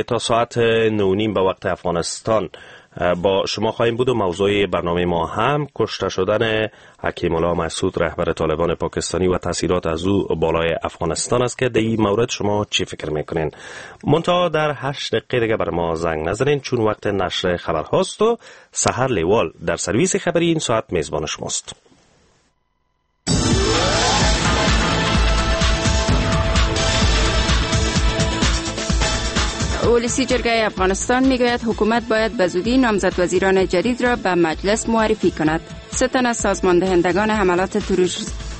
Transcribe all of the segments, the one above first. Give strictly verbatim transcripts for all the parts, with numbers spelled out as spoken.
تا ساعت نه و نیم به وقت افغانستان با شما خواهیم بود و موضوع برنامه ما هم کشته شدن حکیم الله مسعود رهبر طالبان پاکستانی و تاثیرات از او بالای افغانستان است که در این مورد شما چی فکر میکنین. منتها در هشت دقیقه دیگه بر ما زنگ نزنین چون وقت نشر خبر هاست و سحر لیوال در سرویس خبری این ساعت میزبان شماست. ولسی جرگه افغانستان میگوید حکومت باید به زودی نامزد وزیران جدید را به مجلس معرفی کند. سه تن از سازماندهندگان حملات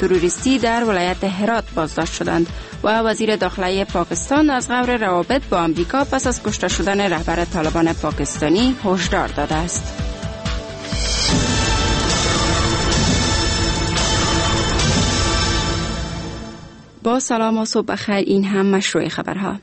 تروریستی در ولایت هرات بازداشت شدند و وزیر داخله پاکستان از غور روابط با آمریکا پس از کشته شدن رهبر طالبان پاکستانی هشدار داده است. با سلام و صبح بخیر، این هم مشروع خبرها.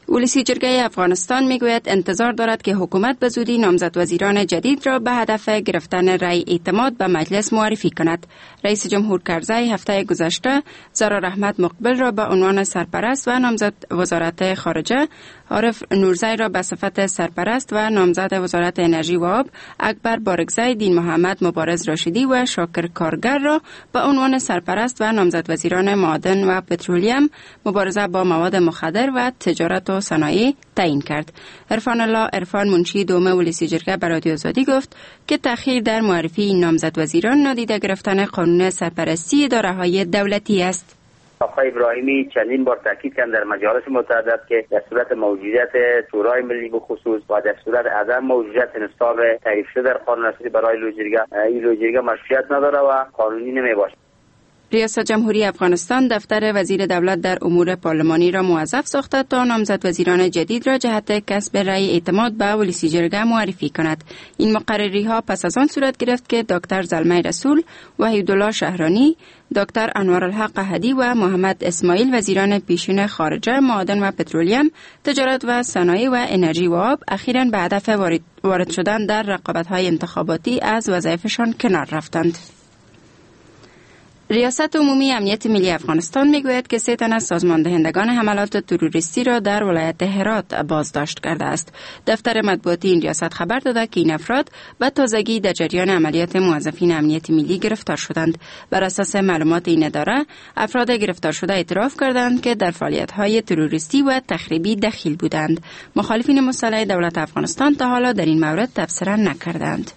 ولسی جرگه افغانستان میگوید انتظار دارد که حکومت به زودی نامزد وزیران جدید را به هدف گرفتن رأی اعتماد به مجلس معرفی کند. رئیس جمهور کرزی هفته گذشته زرار احمد مقبل را به عنوان سرپرست و نامزد وزارت خارجه، عارف نورزی را به صفت سرپرست و نامزد وزارت انرژی و آب، اکبر بارکزی، دین محمد مبارز راشدی و شاکر کارگر را به عنوان سرپرست و نامزد وزیران معادن و پترولیم، مبارزه با مواد مخدر و تجارت و صنایع تعیین کرد. عرفان الله عرفان منشی دوم ولسی جرگه به رادیو آزادی گفت که تأخیر در معرفی این نامزد وزیران نادیده گرفتن قانون سرپرستی اداره‌های دولتی است. آقای ابراهیمی چندین بار تاکید کرد در مجالس متعدد که در صورت موجودیت شورای ملی به خصوص و در صورت عدم موجودیت نصاب تعریف شده در قانون اساسی برای لوی جرگه، این لوی جرگه مشروعیت نداره و قانونی نمیباشد. ریاست جمهوری افغانستان دفتر وزیر دولت در امور پارلمانی را موظف ساخته تا نامزد وزیران جدید را جهت کسب رأی اعتماد به ولسی جرگه معرفی کند. این مقرری ها پس از آن صورت گرفت که دکتر زلمی رسول، وحیدالله شهرانی، دکتر انوارالحق هدی و محمد اسماعیل وزیران پیشین خارجه، معادن و پترولیم، تجارت و صنایع و انرژی و آب اخیراً به هدف وارد شدن در رقابت‌های انتخاباتی از وظایفشان کنار رفتند. ریاست عمومی امنیت ملی افغانستان میگوید که سه تن از سازماندهندگان حملات تروریستی را در ولایت هرات بازداشت کرده است. دفتر مطبوعاتی این ریاست خبر داده که این افراد به تازگی در جریان عملیات موظفین امنیت ملی گرفتار شدند. بر اساس معلومات این اداره، افراد گرفتار شده اعتراف کردند که در فعالیت‌های تروریستی و تخریبی دخیل بودند. مخالفین مسلح دولت افغانستان تا حالا در این مورد تبصره نکردند.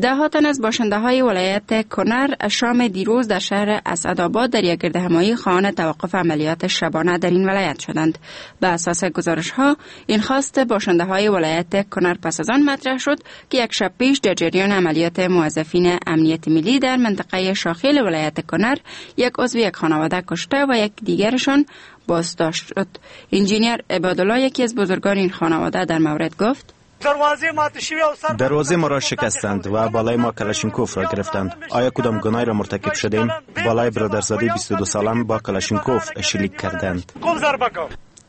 ده ها تن از باشنده های ولایت کنر شام دیروز در شهر اسدآباد در یک گردهمایی خواهان توقف عملیات شبانه در این ولایت شدند. به اساس گزارش ها این خواست باشنده های ولایت کنر پس از آن مطرح شد که یک شب پیش در جریان عملیات موظفین امنیت ملی در منطقه شاخیل ولایت کنر یک عضو یک خانواده کشته و یک دیگرشان بازداشت شد. انجینیر عبادالله یکی از بزرگان این خانواده در مورد گفت: دروازه ما را شکستند و بالای ما کلاشینکوف را گرفتند. آیا کدام گناهی را مرتکب شدیم؟ بالای برادرزاده بیست و دو سالم با کلاشینکوف شلیک کردند.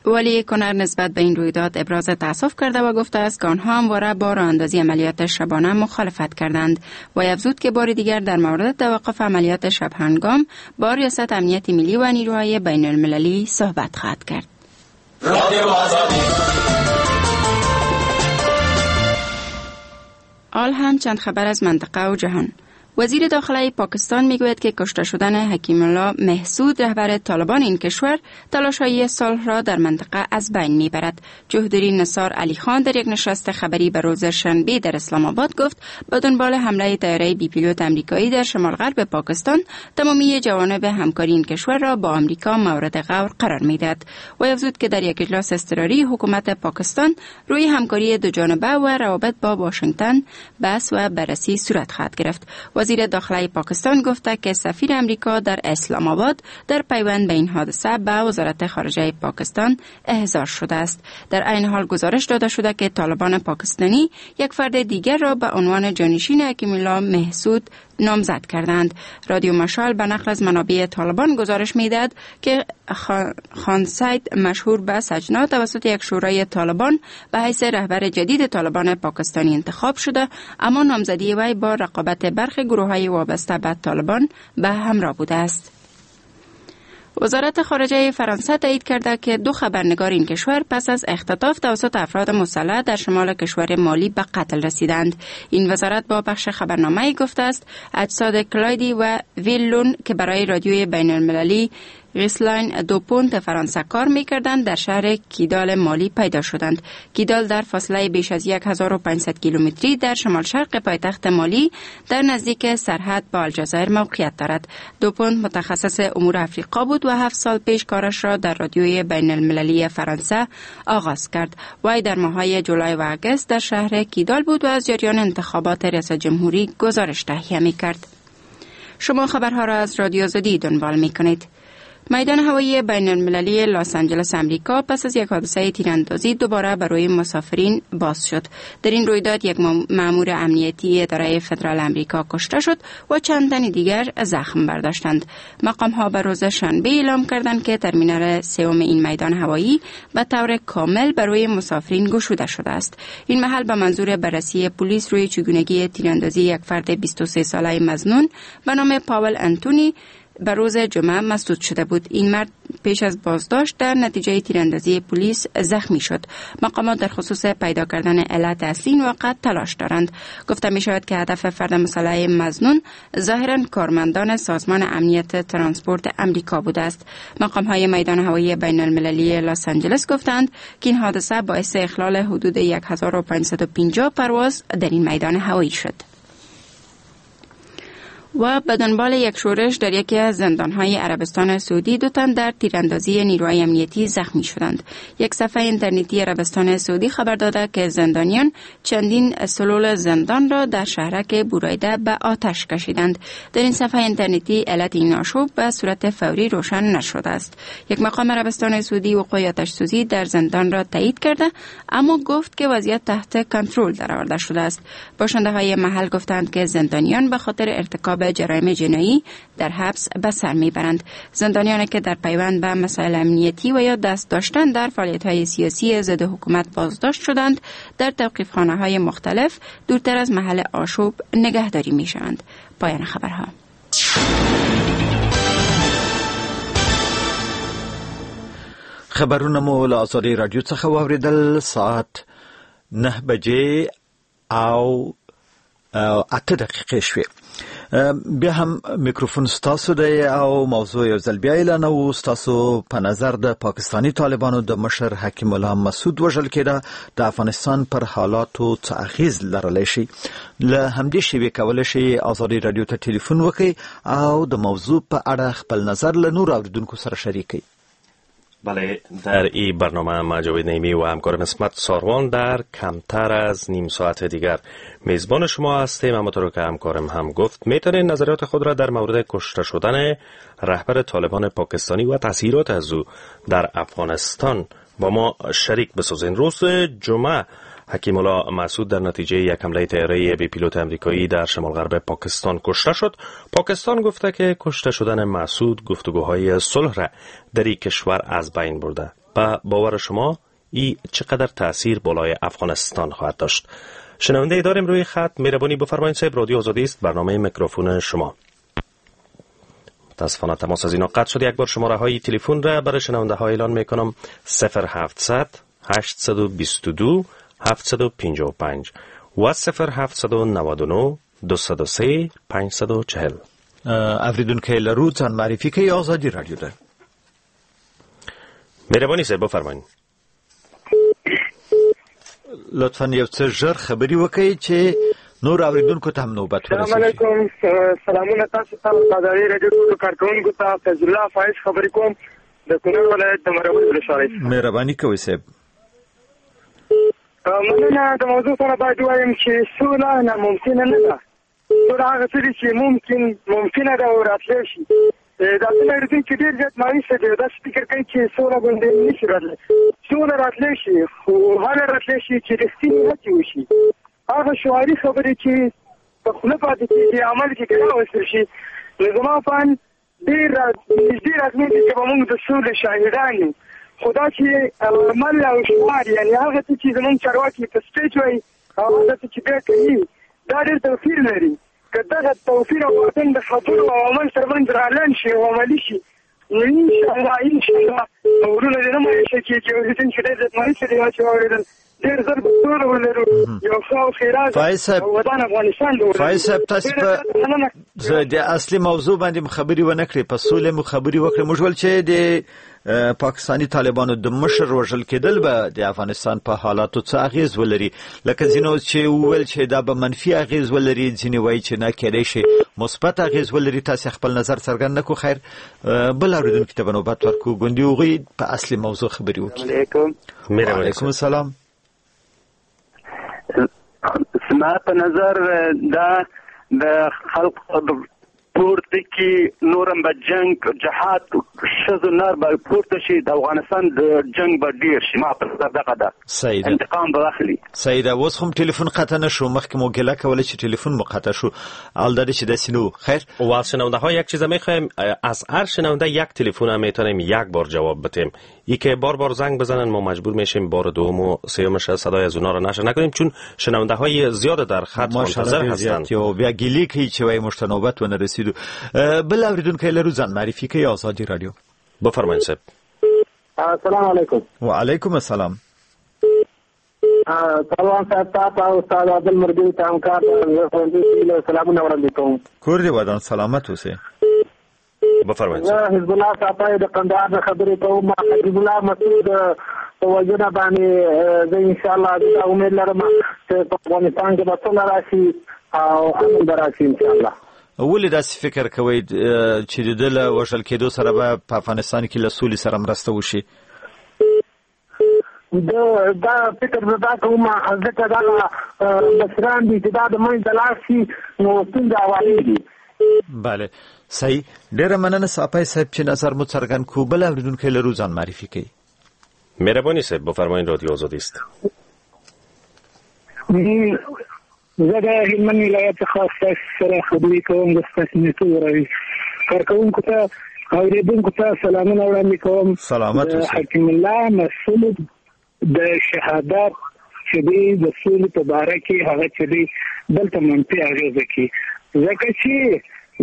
ولی کنر نسبت به این رویداد ابراز تأسف کرده و گفته است که آنها همواره با راه اندازی عملیات شبانه مخالفت کردند و افزود که بار دیگر در مورد توقف عملیات شب هنگام با ریاست امنیت ملی و نیروهای بین المللی صحبت خواهد کرد. آل هم چند خبر از منطقه و جهان. وزیر داخله پاکستان میگوید که کشته شدن حکیم الله محسود رهبر طالبان این کشور تلاش‌های صلح را در منطقه از بین میبرد. چودری نثار علی خان در یک نشست خبری به روز شنبه در اسلام آباد گفت به دنبال حمله طیاره بی پیلوت آمریکایی در شمال غرب پاکستان تمامی جوانب همکاری این کشور را با آمریکا مورد غور قرار میدهد و افزود که در یک اجلاس اضطراری حکومت پاکستان روی همکاری دو جانبه و روابط با واشنگتن بحث و بررسی صورت خواهد گرفت. وزیر داخله پاکستان گفته که سفیر امریکا در اسلام آباد در پیوند به این حادثه به وزارت خارجه پاکستان احضار شده است. در عین حال گزارش داده شده که طالبان پاکستانی یک فرد دیگر را به عنوان جانشین حکیم الله محسود نامزد کردند. رادیو مشال به نقل از منابع طالبان گزارش میدهد که خان سید مشهور به سجنا توسط یک شورای طالبان به حیث رهبر جدید طالبان پاکستانی انتخاب شده، اما نامزدی وی با رقابت برخی گروه‌های وابسته به طالبان به همراه بوده است. وزارت خارجه فرانسه تایید کرده که دو خبرنگار این کشور پس از اختطاف توسط افراد مسلح در شمال کشور مالی به قتل رسیدند. این وزارت با بخش خبرنامه‌ای گفته است اجساد کلایدی و ویلون که برای رادیوی بین المللی غیسلاین دو پونت فرانسه کار می‌کردند در شهر کیدال مالی پیدا شدند. کیدال در فاصله بیش از هزار و پانصد کیلومتری در شمال شرق پایتخت مالی در نزدیک سرحد با الجزایر موقعیت دارد. دو پونت متخصص امور افریقا بود و هفت سال پیش کارش را در رادیوی بین المللی فرانسه آغاز کرد. وی در ماه‌های جولای و آگوست در شهر کیدال بود و از جریان انتخابات ریاست جمهوری گزارش تهیه می‌کرد. شما خبرها را از رادیو آزادی دنبال می‌کنید. میدان هوایی بین المللی لس آنجلس امریکا پس از یک حادثه تیراندازی دوباره برای مسافرین باز شد. در این رویداد یک مأمور امنیتی اداره فدرال امریکا کشته شد و چند تن دیگر زخم برداشتند. مقام ها به روز شنبه اعلام کردند که ترمینال سوم این میدان هوایی به طور کامل برای مسافرین گشوده شده است. این محل به منظور بررسی پلیس روی چگونگی تیراندازی یک فرد بیست و سه ساله مظنون به نام پاول انتونی به روز جمعه مسدود شده بود. این مرد پیش از بازداشت در نتیجه تیراندازی پلیس زخمی شد. مقامات در خصوص پیدا کردن علت اصلی این واقعه تلاش دارند. گفته می شود که هدف فرد مسلح مظنون ظاهرا کارمندان سازمان امنیت ترانسپورت امریکا بوده است. مقام های میدان هوایی بین المللی لس آنجلس گفتند که این حادثه باعث اخلال حدود هزار و پانصد و پنجاه پرواز در این میدان هوایی شد. و به دنبال یک شورش در یکی از زندان‌های عربستان سعودی دو تن در تیراندازی نیروهای امنیتی زخمی شدند. یک صفحه اینترنتی عربستان سعودی خبر داده که زندانیان چندین سلول زندان را در شهرک بورایده به آتش کشیدند. در این صفحه اینترنتی علت این آشوب به صورت فوری روشن نشده است. یک مقام عربستان سعودی وقوع آتش سوزی در زندان را تایید کرده، اما گفت که وضعیت تحت کنترل درآورده شده است. باشنده‌های محل گفتند که زندانیان به خاطر ارتکاب جرایم جنایی در حبس به سر میبرند. زندانیانی که در پیوند به مسائل امنیتی و یا دست داشتن در فعالیت‌های سیاسی ضد حکومت بازداشت شدند، در توقیفخانه‌های مختلف دورتر از محل آشوب نگهداری میشوند. پایان خبرها. خبرونه مو له ازادي رادیو څخه واورېدل. ساعت نه بجې او اته دقیقې شوې. بیا هم میکروفون ستاسو دی او موضوع یو ځل بیا اعلانوو. ستاسو په نظر د پاکستاني طالبانو د مشر حکیم الله مسعود وژل کېده د افغانستان پر حالاتو څه اغېز لرلی شي؟ له همدې شیبې کولی شئ ازادي رادیو ته ټلیفون وکړئ او د موضوع په اړه خپل نظر له نورو اورېدونکو سره شریک کړئ. بله، در این برنامه ما جاوید نعیمی و همکارم عصمت ساروان در کمتر از نیم ساعت دیگر میزبان شما هستیم. همانطور که همکارم هم گفت میتونید نظریات خود را در مورد کشته شدن رهبر طالبان پاکستانی و تاثیرات از او در افغانستان با ما شریک بسازین. روز جمعه حکیم الله مسعود در نتیجه یک حمله طیاره بی پیلوت امریکایی در شمال غرب پاکستان کشته شد. پاکستان گفته که کشته شدن مسعود گفتگوهای صلح را در این کشور از بین برده. با باور شما این چقدر تاثیر بالای افغانستان خواهد داشت؟ شنونده داریم روی خط. مهربانی بفرمایید صاحب. رادیو آزادی است، برنامه میکروفون شما. متاسفانه تماس از اینا قطع شد. یک بار شماره های تلفن را برای شنونده ها اعلان میکنم: صفر هفتصد هشتصد و بیست و دو هفتصد و پنجاه و پنج و صفر هفتصد و نود و نه دویست و سه پانصد و چهل. اوریدونکو لرو ځان معرفي کوي ازادي رادیو ده. مهرباني صاحب بفرمایئ. لطفاً یو څه ژر خبرې وکړئ چې نور اوریدونکو ته هم نوبت ورسیږي. السلام علیکم، سلامونه تاسو ته، ازادي رادیو ټولو کارکوونکو ته. فیض الله فایز خبرې کوم د کونړ ولایت د مروې ولسوالۍ. مهرباني کوئ صاحب. مننه. د موضوع سره باید ووایم چې سوله ناممکنه نه ده. سوله هغه څه دي چې ممکن ممکنه ده او راتلی شي. دا ځینې اورېدونکي ډېر زیات مایوسه دي، داسې فکر کوي چې سوله غوندې نه شي راتلی. سوله راتلی شي، خو هغه راتلی شي چې رښتینې هڅې وشي. هغه شعاري خبرې چې په خوله پاتې کېږي عمل کې که راوستل شي، نو زما په اند ډېر نږدې راتلونکي کې به موږ د سولې شاهدان یو. خو دا چې عمل او شعار، یعنې هغه څه چې زموږ چارواکي په سټیج وایي او هغه څه چې بیا کوي، دا ډېر توپیر لري. که دغه توپیر او واټن د خبرو او عمل ترمنځ رالنډ شي او عملي شي، نو انشاءالله انشاءالله وروڼه دې نه مایوسه کېږي. اورېدونکي ډېر زیات مایوسه دي چې واورېدل، ډېر زر به سوله ولرو، یو ښه او ښېراز ودان افغانستان به ولرو. فایز صاحب تاسو په د اصلي موضوع باندې مو خبرې ونه کړې، په سولې مو خبرې وکړې. موږ ول چې د پاکستاني طالبانو د مشر وژل کېدل به د افغانستان په حالاتو څه اغېز ولري، لکه ځینو چې وویل چې دا به منفي اغېز ولري، ځینې وایي چې نه، کېدای شي مثبت اغېز ولري. تاسو خپل نظر څرګند نه کړو. خیر، بل اورېدونکي ته به نوبت ورکړو، ګوندې هغوی په اصلي موضوع خبرې وکړي. وعلیکم السلام. زما په نظر دا د خلق پورته کې نورم به جنگ جهاد ښځو نر به پورته شي، د افغانستان د جنگ به ډېر شي. ما په نظر دغه ده، انتقام به واخلي. صحیح ده. اوس هم ټلیفون قطع نه شو، مخکې مو ګیله کوله چې ټلیفون مو قطع شو، حال دا چې داسې نه و. خیر، و شنونده ها یک چیز میخوایم، از هر شنونده یک تلفن هم میتونیم یک بار جواب بدیم. ای که بار بار زنگ بزنن ما مجبور میشیم بار دوم و سومش صدای از اونا رو نشر نکنیم، چون شنونده های زیاد در خط منتظر هستند. او بیا ګیلې کوي چې وایي موږ ته نوبت ونه رسیدو. بل اوریدونکی لرو، ځان معرفي کوي، ازادي رادیو. بفرمایئ صاحب. السلام علیکم. وعلیکم السلام. سلام صاحب، تاسو او استاد عادل مرګي ته همکار سلامونه وړاندې کوم. کور دې ودان، سلامت اوسئ. بفرمایئ. زه حزب الله صاحب د قندهار نه خبرې کوم. حزب الله مسعود په وژنه باندې زه انشاءالله دا امید لرم چې په افغانستان کې به سوله راشي او امن به راشي انشاءالله. ولې داسې فکر کوئ چې د ده له وژل کېدو سره به په افغانستان کې له سولې سره مرسته وشي؟ دا فکر زه دا کوم ځکه دا مشران دي چې دا د منځه لاړ شي نو ستونزه هوارېږي. بله، صحیح. ډېره مننه ساپی صاحب چې نظر مو څرګند کړو. بل اورېدونکی لرو، ځان معرفي کوي. مهرباني صاحب، بفرمایئ، رادیو آزادي است. زه د هلمند ولایت څخه ستاسو سره خبرې کوم. د ستاسو نیتو کارکوونکو ته اورېدونکو ته سلامونه وړاندې کوم. سلامت اوسئ. حکیم الله مسعود د شهادت چې دی د سولې په باره کې هغه چې دی دلته منفي اغېزه کوي، ځکه چې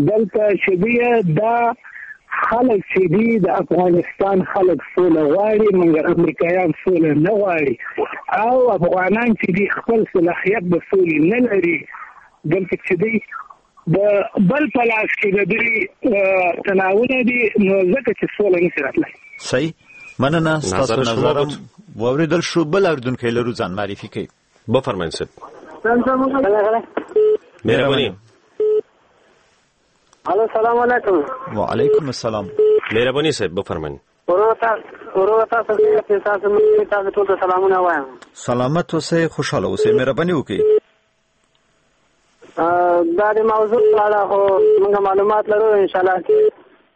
دلته چې دی دا خلک چې دي د افغانستان خلک سوله غواړي، مګر امریکایان سوله نه غواړي، او افغانان چې دي خپل صلاحیت د سولې نه لري. دلته چې دی د بل په لاس کې د دوی تناونه دي، نو ځکه چې سوله نشي راتلی. صحیح، مننه. ستاسو نظر هم واورېدل شو. بل اورېدونکی لرو، ځان معرفي کوي. بفرمایئ صاحب. مهرباني. الو، سلام علیکم. وعلیکم السلام. مهرباني صاحب، بفرمایئ. ورور تاسو څنګه تاسو مې تاسو ټول ته سلامونه وایم. سلامت اوسئ، خوشحاله اوسئ، مهرباني وکړئ. دا د موضوع په اړه خو موږ معلومات لرو ان شاء الله. چې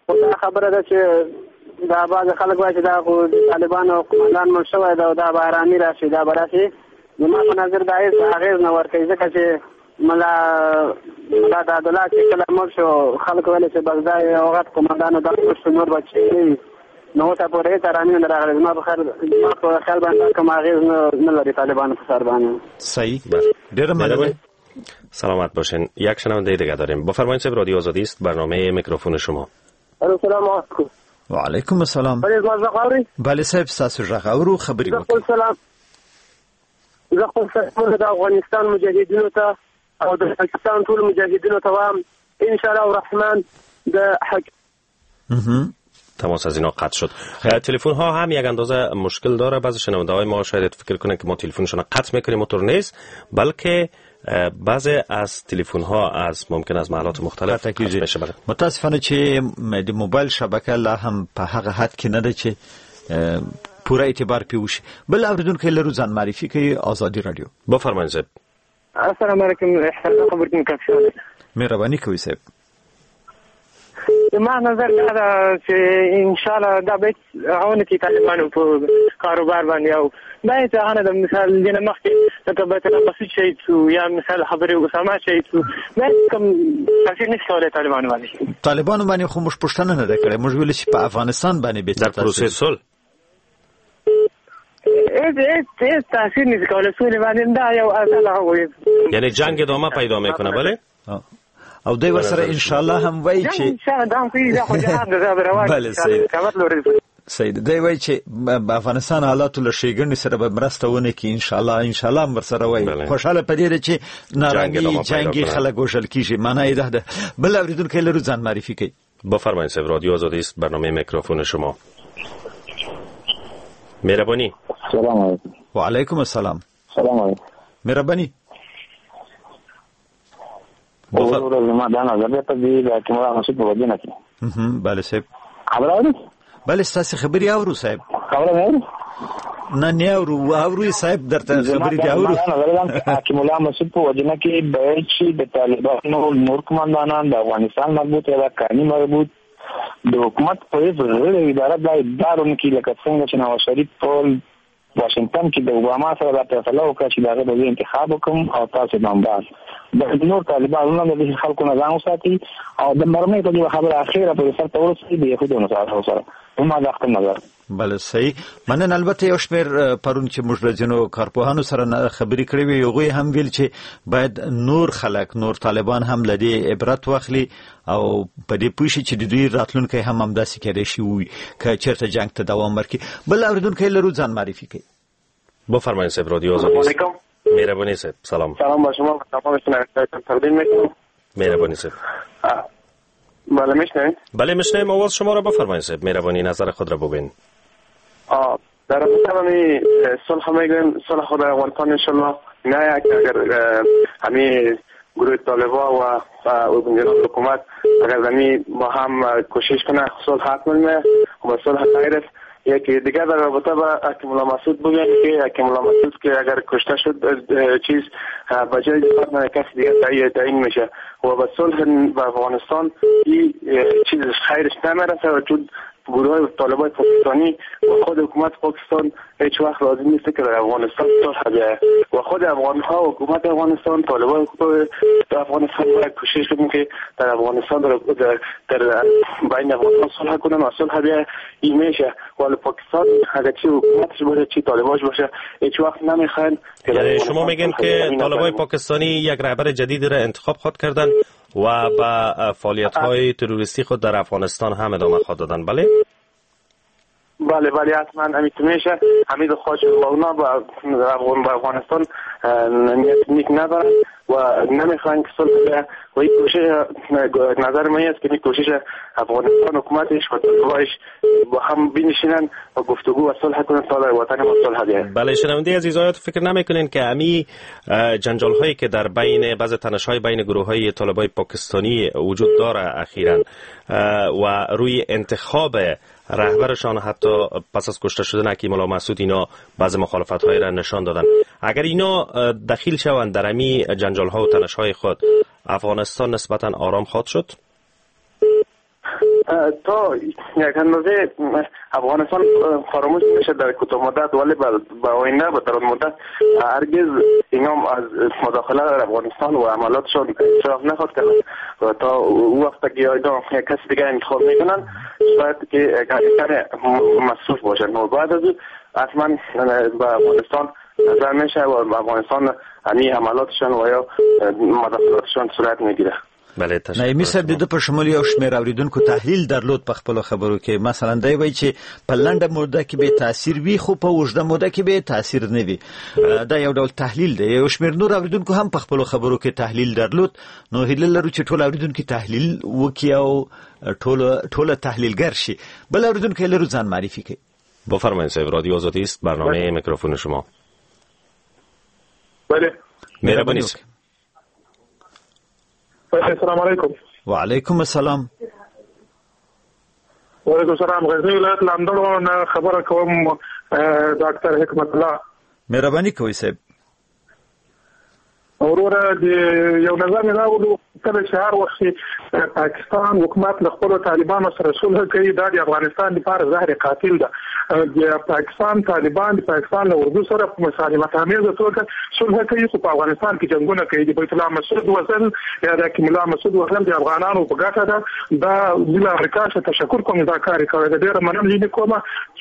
خو دا خبره ده چې دا بعضې خلک وایي چې دا خو د طالبانو قومندان مړ شوی دی او دا به ارامي راشي، دا به راشي. زما په نظر دا هېڅ اغېز نه ورکوي، ځکه چې ملا ملا دادالله چې کله مړ شو خلکو ویل چې بس دا یو غټ قومندان و، دا مړ شو نور به چې نه وي. نو اوسه پورې هېڅ ارامي نه راغلې. زما په خیال زما په خیال باندې کوم اغېز نه لري طالبانو په سر باندې. صحیح، ډېره مننه. سلامت باشین. یک شنونده دیگه داریم. بفرمایید صاحب، رادیو آزادی است، برنامه میکروفون شما. السلام علیکم. وعلیکم السلام. بله زما غږ اورئ؟ بله صاحب، ستاسو غږ اورو، خبرې وکړئ. سلام. زه خپل سلامونه د افغانستان مجاهدینو ته او د پاکستان ټول مجاهدینو ته وایم ان شاء الله الرحمن د حق. تماس از اینا قطع شد. تلفن ها هم یک اندازه مشکل داره. بعضی شنونده های ما شاید فکر کنن که ما تلفنشون قطع میکنیم، اونطور نیست، بلکه بعضی از تلفن ها از ممکن از محلات مختلف قطع بشه. متاسفانه چې د موبایل شبکه لا هم په هغه حد کې نه ده چې پوره اعتبار پې وشي. بل اوریدونکی لرو، ځان معرفي کوي، ازادي رادیو. بفرمایئ صاحب. السلام علیکم. احسان خبرتون کوم. مهرباني کوئ صاحب. زما نظر دا ده چې ان شاء الله دا به هیڅ هغه نه کوي طالبانو په کاروبار باندې، او دا هېڅ هغه نه ده. مثال دې نه مخکې لکه بیت الله مسعود شهید شو یا مثال خبرې اسامه شهید شو، دا هېڅ کوم تاثیر نشي کولی طالبانو باندې. طالبانو باندې خو موږ پوښتنه نه ده کړې، موږ ویل چې په افغانستان باندې به در پروسې صلح هیڅ هیڅ هیڅ تاثیر نشي کولی سولې باندې. دا یو اصل هغه یعنی جنگ ادامه پیدا میکنه. بله. او دوی ورسره ان شاء الله هم وایي چې بله صحیح صحیح دی وایي چې افغانستان حالاتو له ښېګڼې سره به مرسته ونه کړي ان شاء الله ان شاء الله هم ورسره وایي. خوشحاله په دې ده چې نارامي جنګي خلک وژل کېږي، معنا یې دا ده. بل اورېدونکی لرو، ځان معرفي کوي. بفرمایید صاحب، رادیو آزادی است، برنامه میکروفون شما. مهربانی. سلام علیکم. و علیکم السلام. سلام علیکم. مهربانی. وروره زما دا نظر دی په دې د حکیم الله مسعود په وژنه کې. بله صاحب. خبره اورې؟ بله ستاسې خبرې اورو صاحب. خبره مې اورې؟ نه نه اورو، اورو صاحب درته خبرې دي اورو. زما دا نظر دی چې حکیم الله مسعود په وژنه کې باید چې د طالبانو نور قومندانان د افغانستان مربوط یا د قانوني مربوط د حکومت په هیڅ غړي اداره باید دا ونه کړي، لکه څنګه چې نواز شریف په واشنګټن کې د اوباما سره دا فیصله وکړه چې د هغه د انتخاب وکړم او تاسو بمبار د نور طالبانو نه د خلکو نه ځان وساتي او د مرمۍ په دې خبره اخیره په سر ته ورسېږي د یهودو نصارو سره. زما دا خپل نظر. بله صحیح. مننه. البته یو شمېر پرون چې موږ له ځینو کارپوهانو سره خبرې کړې وې، هغوی هم ویل چې باید نور خلک، نور طالبان هم له دې عبرت واخلي او په دې پوه شي چې د دوی راتلونکی هم همداسې کېدای شي وي که چېرته جنګ ته دوام ورکړي. بل اورېدونکی لرو، ځان معرفي کوي. بفرمایید صاحب، رادیو آزادی است. مهربانی صاحب. سلام. سلام با شما و تمام شنوندگان تقدیم میکنم. مهربانی صاحب. بله میشنوید؟ بله میشنویم. آواز شما را بفرمایید صاحب، مهربانی نظر خود را بگوین. آه در رابطه با می صلح میگویم، صلح خود افغانستان انشالله نه که اگر همین گروه طالبا و و حکومت اگر همی با هم کوشش کنه صلح حتما میه و صلح خیر است. یکی دیگر در رابطه با حکیم الله مسعود بگم که حکیم الله مسعود که اگر کشته شد چیز به جای کسی دیگر تعیین میشه و به صلح به افغانستان این چیز خیرش نمیرسه و چون گروه طالبان پاکستانی و خود حکومت پاکستان هیچ وقت راضی نیست که در افغانستان صلح بیاید و خود افغان ها و حکومت افغانستان طالبان افغانستان باید کوشش کنیم که در افغانستان در در, در بین افغانستان صلح کنن و صلح بیاید. این میشه ولی پاکستان اگر چی حکومتش باشه چی طالباش باشه هیچ وقت نمیخواین. یعنی شما میگین که طالبان پاکستانی یک رهبر جدید را انتخاب خواهد کردن و به فعالیت‌های تروریستی خود در افغانستان هم ادامه خواهد دادن. بله؟ بله بله حتما همین میشه. همین خواهش و اونا با افغانستان نیت نیک ندارن و نمیخواین که صلح بیاید و این کوشش نظر من است که این کوشش افغانستان حکومتش و طالبانش با هم بنشینن و گفتگو و صلح کنن تا در وطن ما صلح بیاید. بله شنونده عزیز، آیا فکر نمیکنین که امی جنجال هایی که در بین بعض تنش های بین گروه های طالبای پاکستانی وجود داره اخیرا و روی انتخاب رهبرشان حتی پس از کشته شدن حکیم الله مسعود اینا بعض مخالفت های را نشان دادن، اگر اینا دخیل شوند در امی جنجال ها و تنش های خود، افغانستان نسبتا آرام خواهد شد؟ تا یک اندازه افغانستان فراموش میشه در کوتاه مدت، ولی به آینده و در مدت هرگز اینا از مداخله در افغانستان و عملاتشان اعتراف نخواهد کرد و تا او وقت که اینا یک کسی دیگه انتخاب میکنن شاید که کمی مصروف باشن و بعد از حتما به افغانستان نظر میشه و افغانستان همی عملاتشان و یا مداخلاتشان صورت میگیره. بله تشکر. نعیمي صاحب، د ده په شمول یو شمېر اورېدونکو تحلیل درلود په خپلو خبرو کې. مثلا دی وایي چې په لنډه موده کې به تاثیر وي خو په اوږده موده کې به تاثیر نه وي. دا یو ډول تحلیل دی. یو شمېر نور اورېدونکو هم په خپلو خبرو کې تحلیل درلود. نو هیله لرو چې ټول اورېدونکي تحلیل وکړي او ټول ټول تحلیلګر شي. بل اورېدونکی لرو، ځان معرفي کوي. بفرمایید صاحب، رادیو آزادی است، برنامه میکروفون شما. بله مهربانی. السلام علیکم. و علیکم السلام. و علیکم السلام. غزنی ولایت لاندړو نه خبره کوم، ډاکټر حکمت الله. مهرباني کوئ صاحب. وروره د یو نظر مې دا و، کله چې هر وخت پاکستان حکومت له خپلو طالبانو سره صلح کوي، دا د افغانستان لپاره زهر قاتل ده. د پاکستان طالبان د پاکستان له اردو سره په مسالمت آمیزه توګه صلح کوي، خو په افغانستان کې جنګونه کوي. د بیت الله مسعود وزن یا د حکیم الله مسعود وزن د افغانانو په ګټه ده. دا زه له امریکا څخه تشکر کوم، دا کار یې کړی دی، ډېره مننه یې کوم.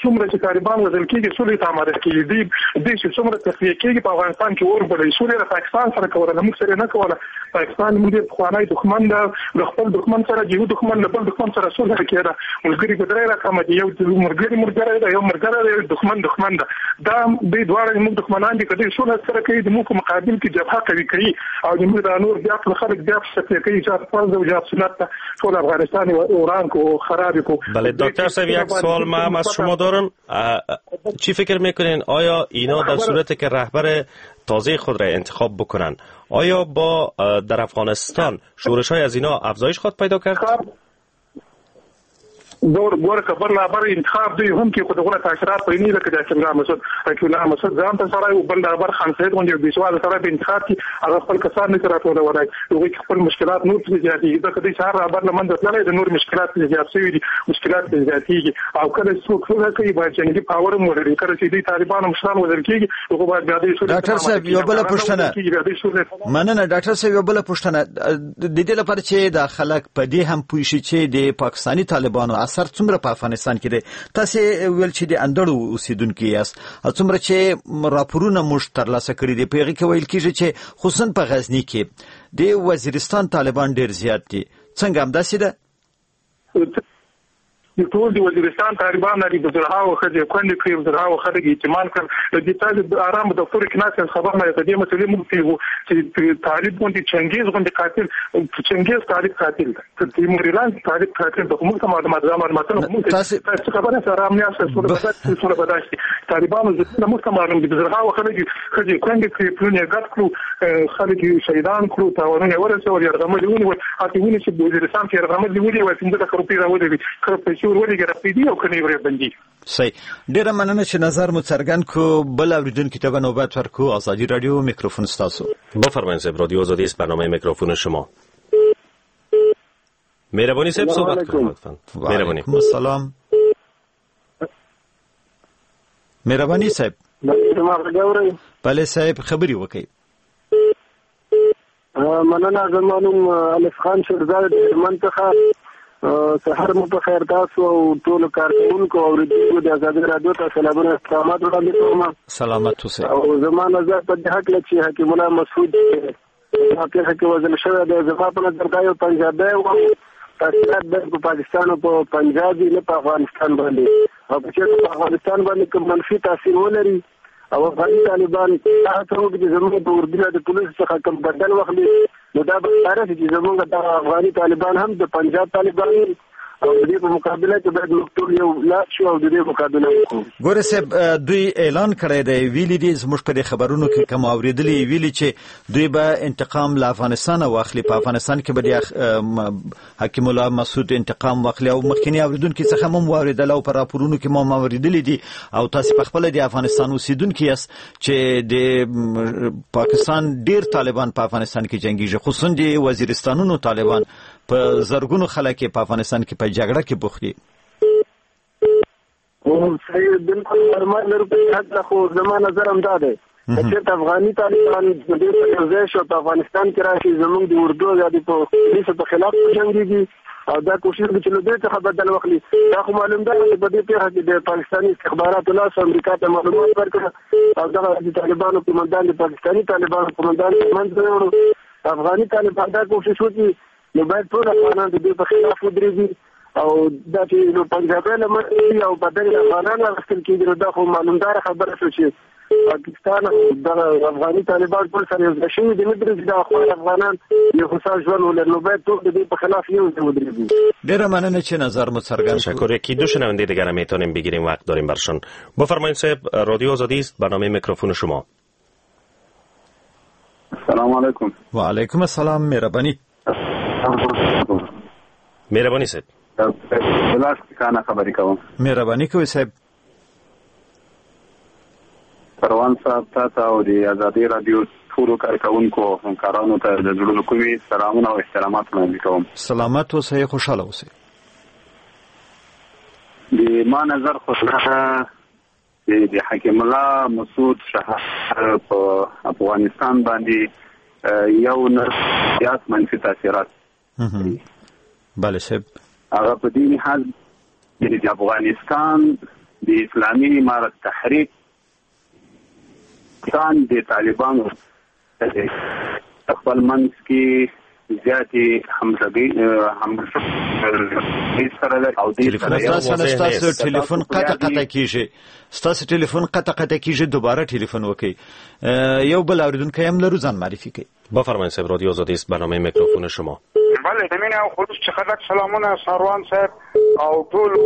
څومره چې طالبان وژل کېږي سولې ته آماده کېږي، دوی دوی چې څومره تخلیه کېږي په افغانستان کې اور بلوي. سولې له پاکستان سره کوله، له موږ سره نه کوله. پاکستان موږ ډېر پخوا پخوانی دښمن ده، د خپل دښمن سره یو دښمن له بل دښمن سره سوله کېده. ملګري په درې رقمه دي، یو ملګری ملګری ده، یو ملګری ده، یو دښمن دښمن ده. دا دوی دواړه زموږ دښمنان دي. که دوی سوله سره کوي د موږ په مقابل کې جبهه قوي کوي او زموږ دا نور بیا خلک بیا په کوي چې فرض او جهاد سنت ټول افغانستان وران کو خراب کو. بله دکتر صاحب، یک سوال ما هم از شما دارم. چی فکر میکنین آیا اینا در صورت که رهبر تازه خود را انتخاب بکنن آیا با در افغانستان شورش های از اینا افزایش خواهد پیدا کرد؟ ګور ګور خبر رهبر انتخاب دی هم کې خو دغه تاثیرات پرې نه لکه د حکیم الله مسعود حکیم الله مسعود ځان ته سره او بل رهبر خان سید غوندې بې سواده سره په انتخاب کې هغه خپل کسان نه راټولولای، هغوی کې خپل مشکلات نور پسې زیاتېږي. ځکه دوی چې هر رهبر له منځه تللی د نور مشکلات پسې زیات شوي دي، مشکلات پسې زیاتېږي. او کله چې څوک سوله کوي باید جنګي پاور هم ولري. کله چې دوی طالبانو مشران وژل کېږي هغه باید بیا دوی سولې. ډاکټر صاحب یو بله پوښتنه، مننه ډاکټر صاحب، یو بله پوښتنه د دې لپاره چې دا خلک په دې هم پوه شي چې د پاکستاني طالبانو اثر څومره په افغانستان کې دی. تاسو ویل چې د اندړو اوسیدونکي یاست، څومره چې راپورونه موږ ترلاسه کړي دي په هغه کې ویل کیږي چې خصوصا په غزني کې د وزیرستان طالبان ډیر زیات دي. څنګه همداسې ده؟ د ټول د وزیرستان طالبان لري، د زرهاوو ښځې کونډې کړې، د زرهاوو خلک یې یتیمان کړل. د دې تاسو د ارام دفتر کې ناست یاست، خبر نه یاست. د دې مسئلې موږ پوهېږو چې طالب غوندې چنګېز غوندې قاتل، چنګېز طالب قاتل دی، تیموریلان طالب قاتل دی. خو موږ ته معلومات دا معلوماتونه موږ ته خبر یاست، ارام نه یاست. سوله به داسې سوله به داسې طالبانو ضدونه موږ ته معلوم دي. د زرهاوو خلک ښځې کونډې کړې، پلونه یې ګډ کړو، خلک یې شهیدان کړو، تاوانونه یې ورسول، یرغمل یې ونیول. هسې ونیسي چې وزیرستان کې یرغمل یې ونیول، پنځه لکه روپۍ راولېږي، کله پیسې ورولېږي راپیدي او که نه یې وربندي. صحیح، ډیره مننه چې نظر مو څرګند کو. بل اوریدونکي ته به نوبت ورکو. ازادي رادیو میکروفون ستاسو. بفرمایید صاحب، رادیو آزادی است، برنامه میکروفون شما. مهربانی صاحب صحبت کنید لطفاً. مهربانی. سلام. مهربانی صاحب. بله صاحب خبرې وکړئ. مننه، زما نوم الف خان شیرزاد د هلمند څخه. سهار مو په خیر. تاسو او ټولو کارکوونکو او اورېدونکو د ازادي راډیو ته سلامونه احترامات وړاندې کوم. سلامت اوسئ. او زما نظر په دې هکله چې حکیم الله مسعود په پېښه کې وژل شوی دی، زما په نظر دا یو پنجابی و. تاثیرات باید په پاکستان او په پنجاب وي، نه په افغانستان باندې. او که چېرته په افغانستان باندې کوم منفي تاثیر ولري او افغاني طالبان دا هڅه وکړي چې زموږ د اردو د پولیسو څخه کوم بدل واخلي، نو دا به ښکاره شي چې زموږ دغه افغاني طالبان هم د پنجاب طالبان دي او د دې په مقابله کې باید موږ ټول یو لاس شو او د دې مقابله وکړو. ګوره صاحب، دوی اعلان کړی دی، ویلي دي زموږ په دې خبرونو کې کوم اورېدلي، ویلي چې دوی به انتقام له افغانستانه واخلي، په افغانستان کې به د حکیم الله مسعود انتقام واخلي. او مخکینی اورېدونکي څخه مو واورېدل او په راپورونو کې مو اورېدلي دي، او تاسو په خپله د افغانستان اوسېدونکي یاست چې د پاکستان ډېر طالبان په افغانستان کې جنګیږي، خصوصا د وزیرستانونو طالبان په زرګونو خلک په افغانستان کې په جګړه کې بوخت دي. صحیح، بالکل معلومات لرو په دې هکله، خو زما نظر هم دا دی که چېرته افغاني طالبان ډېر سره یو ځای شي او په افغانستان کې راشي، زموږ د اردو یا د پولیسو په خلاف وجنګېږي او دا کوشش وکړي چې له دوی څخه بدل واخلي. دا خو معلوم ده چې په دې پېښه کې د پاکستاني استخباراتو لاس امریکا ته معلومات ورکړه او دغه د طالبانو قومندان د پاکستاني طالبانو قومندان منځ ته یوړو. افغاني طالبان دا کوشش وکړي نو باید ټول افغانان د دوی په خلاف ودرېږي او دا چې نو پنجابی له منځه او بدل افغانان اخیستل کېږي، نو دا خو معلومداره خبره شوه چې پاکستان دغه افغاني طالبان ټول سره یو ځای شوي دي، نه پرېږدي دغه خپل افغانان یو هوسا ژوند ولري، نو باید ټول د دوی په خلاف یو ځای ودرېږي. ډېره مننه چې نظر مو څرګند. تشکر. یکی دو شنونده دیگر میتونیم بگیریم، وقت داریم برشان. بفرمایید صاحب، رادیو آزادی است، برنامه میکروفون شما. السلام علیکم. و علیکم السلام. مهربانی. مهربانی صاحب. بلاش کانه خبرې کوم. مهرباني کوئ صاحب. پروان صاحب، تاسو او د ازادي رادیو ټولو کارکوونکو او همکارانو ته د زړونو کومې سلامونه او احترامات وړاندې کوم. سلامت اوسئ، خوشحاله اوسئ. د ما نظر خو د حکیم الله مسعود شهادت په افغانستان باندې یو نه زیات منفي تاثیرات. بله صاحب. هغه په دې لحاظ د افغانستان د اسلامي امارت تحریک د طالبانو خپل منځ کې زیاتې همغږۍ همغږۍ سره ده او دې سره ستاسو ټلیفون قطع قطع کیږي، ستاسو ټلیفون قطع قطع کیږي، دوباره ټلیفون وکړئ. یو بل اوریدونکی هم لرو، ځان معرفي کړئ. بفرمایئ صاحب، رادیو آزادی است، برنامه میکروفون شما. بله، د مینې او خلوص څخه ډک سلامونه ساروان صاحب او ټولو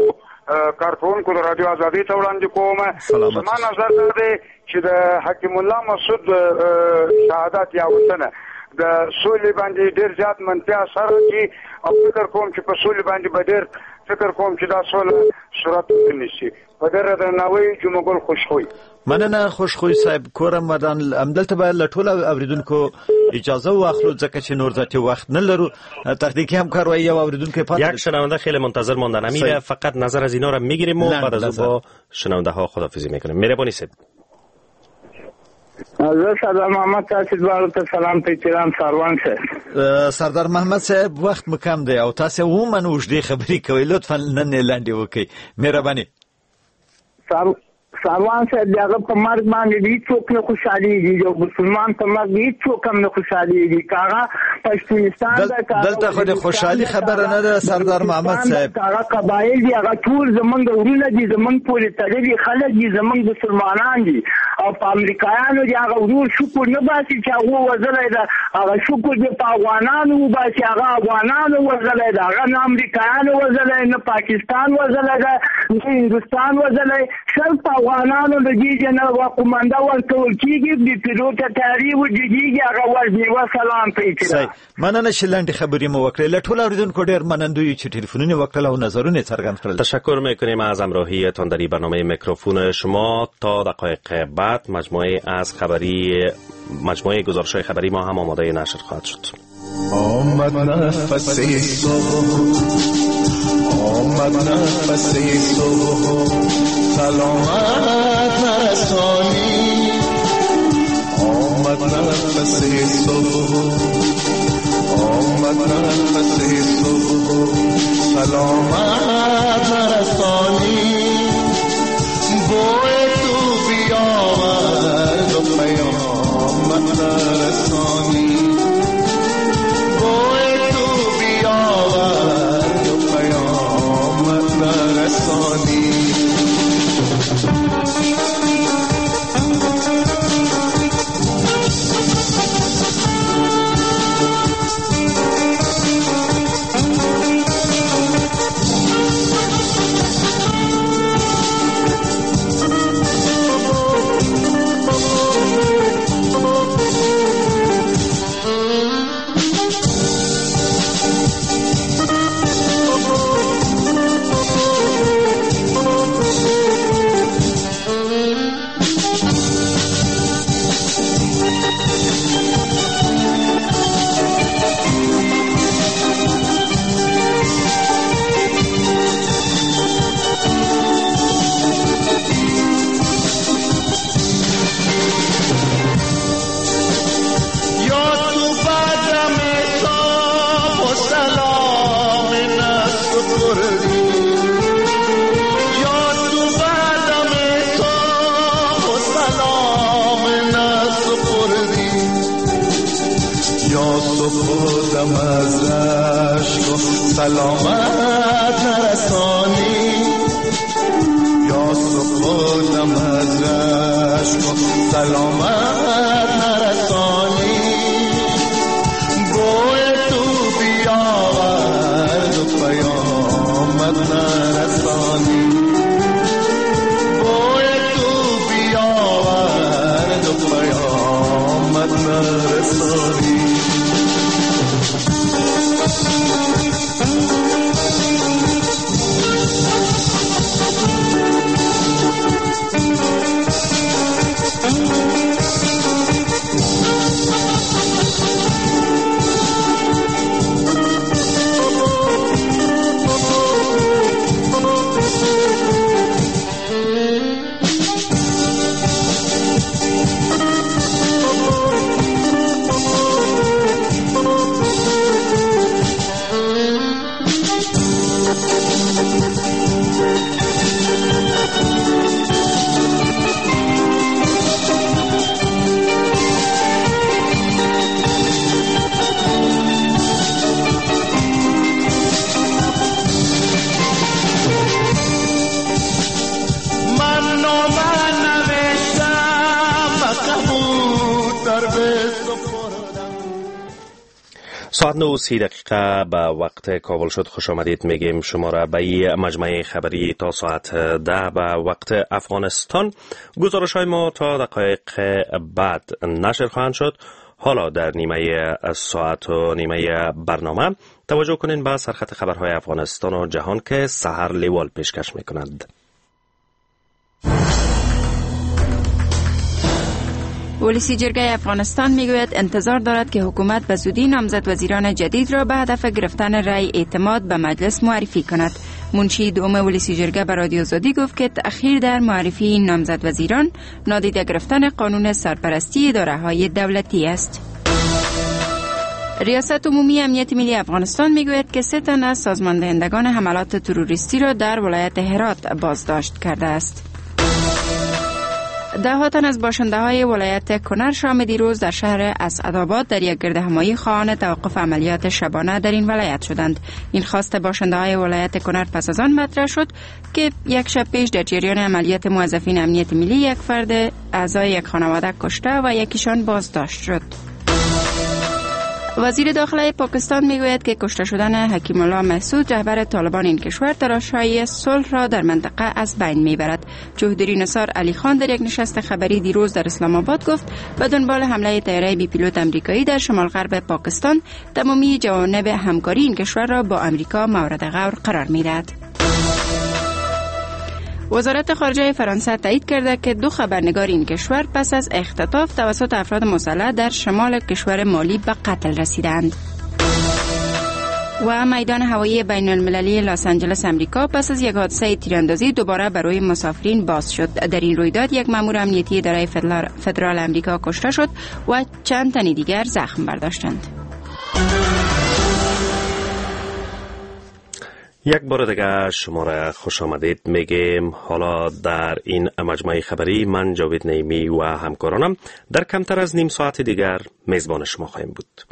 کارکوونکو د رادیو آزادۍ ته وړاندې کوم. زما نظر دا دی چې د حکیم الله مسعود شهادت یا وتنه د سولې باندې ډېر زیات منفي اثر کوي او فکر کوم چې په سولې باندې به ډېر فکر کوم چې دا سوله صورت ونیسي. په ډېره درناوي جمعه ګل خوشخوی. مننه خوشخوی صاحب، کورم ودان. همدلته به له ټولو اوریدونکو اجازه واخلو ځکه چې نور ذاتی وخت نه لرو. تکنیکی همکار وایي یو اوریدونکی پاتې یک شنونده خیلی منتظر ماندن. امیر فقط نظر از اینا را میگیریم و بعد از او با شنونده ها خداحافظی میکنیم. مهربانی صاحب. زه سردار محمد تاسو دواړو ته سلام په احترام ساروان صاحب. سردار محمد صاحب وخت مو کم دی او تاسو عموما اوږدې خبرې کوئ، لطفا نن یې لنډې وکړئ مهرباني. ساروان صاحب د هغه په مرګ باندې هیڅوک نه خوشحالېږي، یو مسلمان په مرګ هیڅوک هم نه خوشحالېږي، که هغه پښتونستان ده، دلته خو د خوشحالي خبره نه ده سردار محمد صاحب. که هغه قبایل دي، هغه ټول زمونږ ورونه دي، زمونږ پورې تړلي خلک دي، زمونږ مسلمانان دي. او په امریکایانو دي هغه ورور شکر نه باسي چې هغو وژلی ده، هغه شکر دې په افغانانو وباسي، هغه افغانانو وژلی ده، هغه نه امریکایانو وژلی، نه پاکستان وژلی ده، نه هندوستان وژلی، صرف په افغانانو د دې نه قومنده ورکول کېږي، بې پیلوټه طیارې وجګېږي، هغه وژني. وسلام په احترام. مننه چې لنډې خبرې مو وکړې. له ټولو اوریدونکو ډېر منندوی یو چې ټلیفونونه وکړل او نظرونه یې څرګند کړل. تشکر میکنیم از همراهیتان در برنامه میکروفون شما. تا دقایق بعد مجموعه از خبری مجموعه گزارش‌های خبری ما هم آماده نشر خواهد شد. آمد نفس صبح، آمد نفس صبح، سلامت نرسانی. آمد نفس صبح، آمد نفس صبح، سلامت نرسانی. بوی تو بیاورد و پیامت نرسانی، بوی تو بیاورد و پیامت نرسانی. سپردم از رشک و سلامت نرسانی، یا سپردم از رشک و سلامت نرسانی. بوی تو بیاورد و پیامت نرسانی، بوی تو بیاورد و پیامت نرسانی. Thank you. ساعت نه و سی دقیقه به وقت کابل شد. خوش آمدید میگیم شما را به مجمع خبری تا ساعت ده به وقت افغانستان. گزارش های ما تا دقایق بعد نشر خواهند شد. حالا در نیمه ساعت و نیمه برنامه توجه کنین به سرخط خبرهای افغانستان و جهان که سحر لیوال پیشکش میکند. ولسی جرگه افغانستان میگوید انتظار دارد که حکومت به زودی نامزد وزیران جدید را به هدف گرفتن رأی اعتماد به مجلس معرفی کند. منشی دوم ولسی جرگه به رادیو آزادی گفت که تأخیر در معرفی این نامزد وزیران نادیده گرفتن قانون سرپرستی اداره‌های دولتی است. ریاست عمومی امنیت ملی افغانستان میگوید که سه تن از سازماندهندگان حملات تروریستی را در ولایت هرات بازداشت کرده است. ده ها تن از باشنده های ولایت کنر شام دیروز در شهر اسعدآباد در یک گردهمایی خواهان توقف عملیات شبانه در این ولایت شدند. این خواست باشنده های ولایت کنر پس از آن مطرح شد که یک شب پیش در جریان عملیات موظفین امنیت ملی یک فرد اعضای یک خانواده کشته و یکیشان بازداشت شد. وزیر داخله پاکستان میگوید که کشته شدن حکیم الله محسود رهبر طالبان این کشور تلاش‌های صلح را در منطقه از بین میبرد. چودری نثار علی خان در یک نشست خبری دیروز در اسلام آباد گفت به دنبال حمله طیاره بی پیلوت امریکایی در شمال غرب پاکستان تمامی جوانب همکاری این کشور را با امریکا مورد غور قرار میدهد. وزارت خارجه فرانسه تایید کرده که دو خبرنگار این کشور پس از اختطاف توسط افراد مسلح در شمال کشور مالی به قتل رسیدند. و میدان هوایی بین المللی لس آنجلس امریکا پس از یک حادثه تیراندازی دوباره برای مسافرین باز شد. در این رویداد یک مأمور امنیتی اداره فدرال امریکا کشته شد و چند تن دیگر زخم برداشتند. یک بار دیگه شما را خوش آمدید میگیم. حالا در این مجموعه خبری من جاوید نعیمی و همکارانم در کمتر از نیم ساعت دیگر میزبان شما خواهیم بود.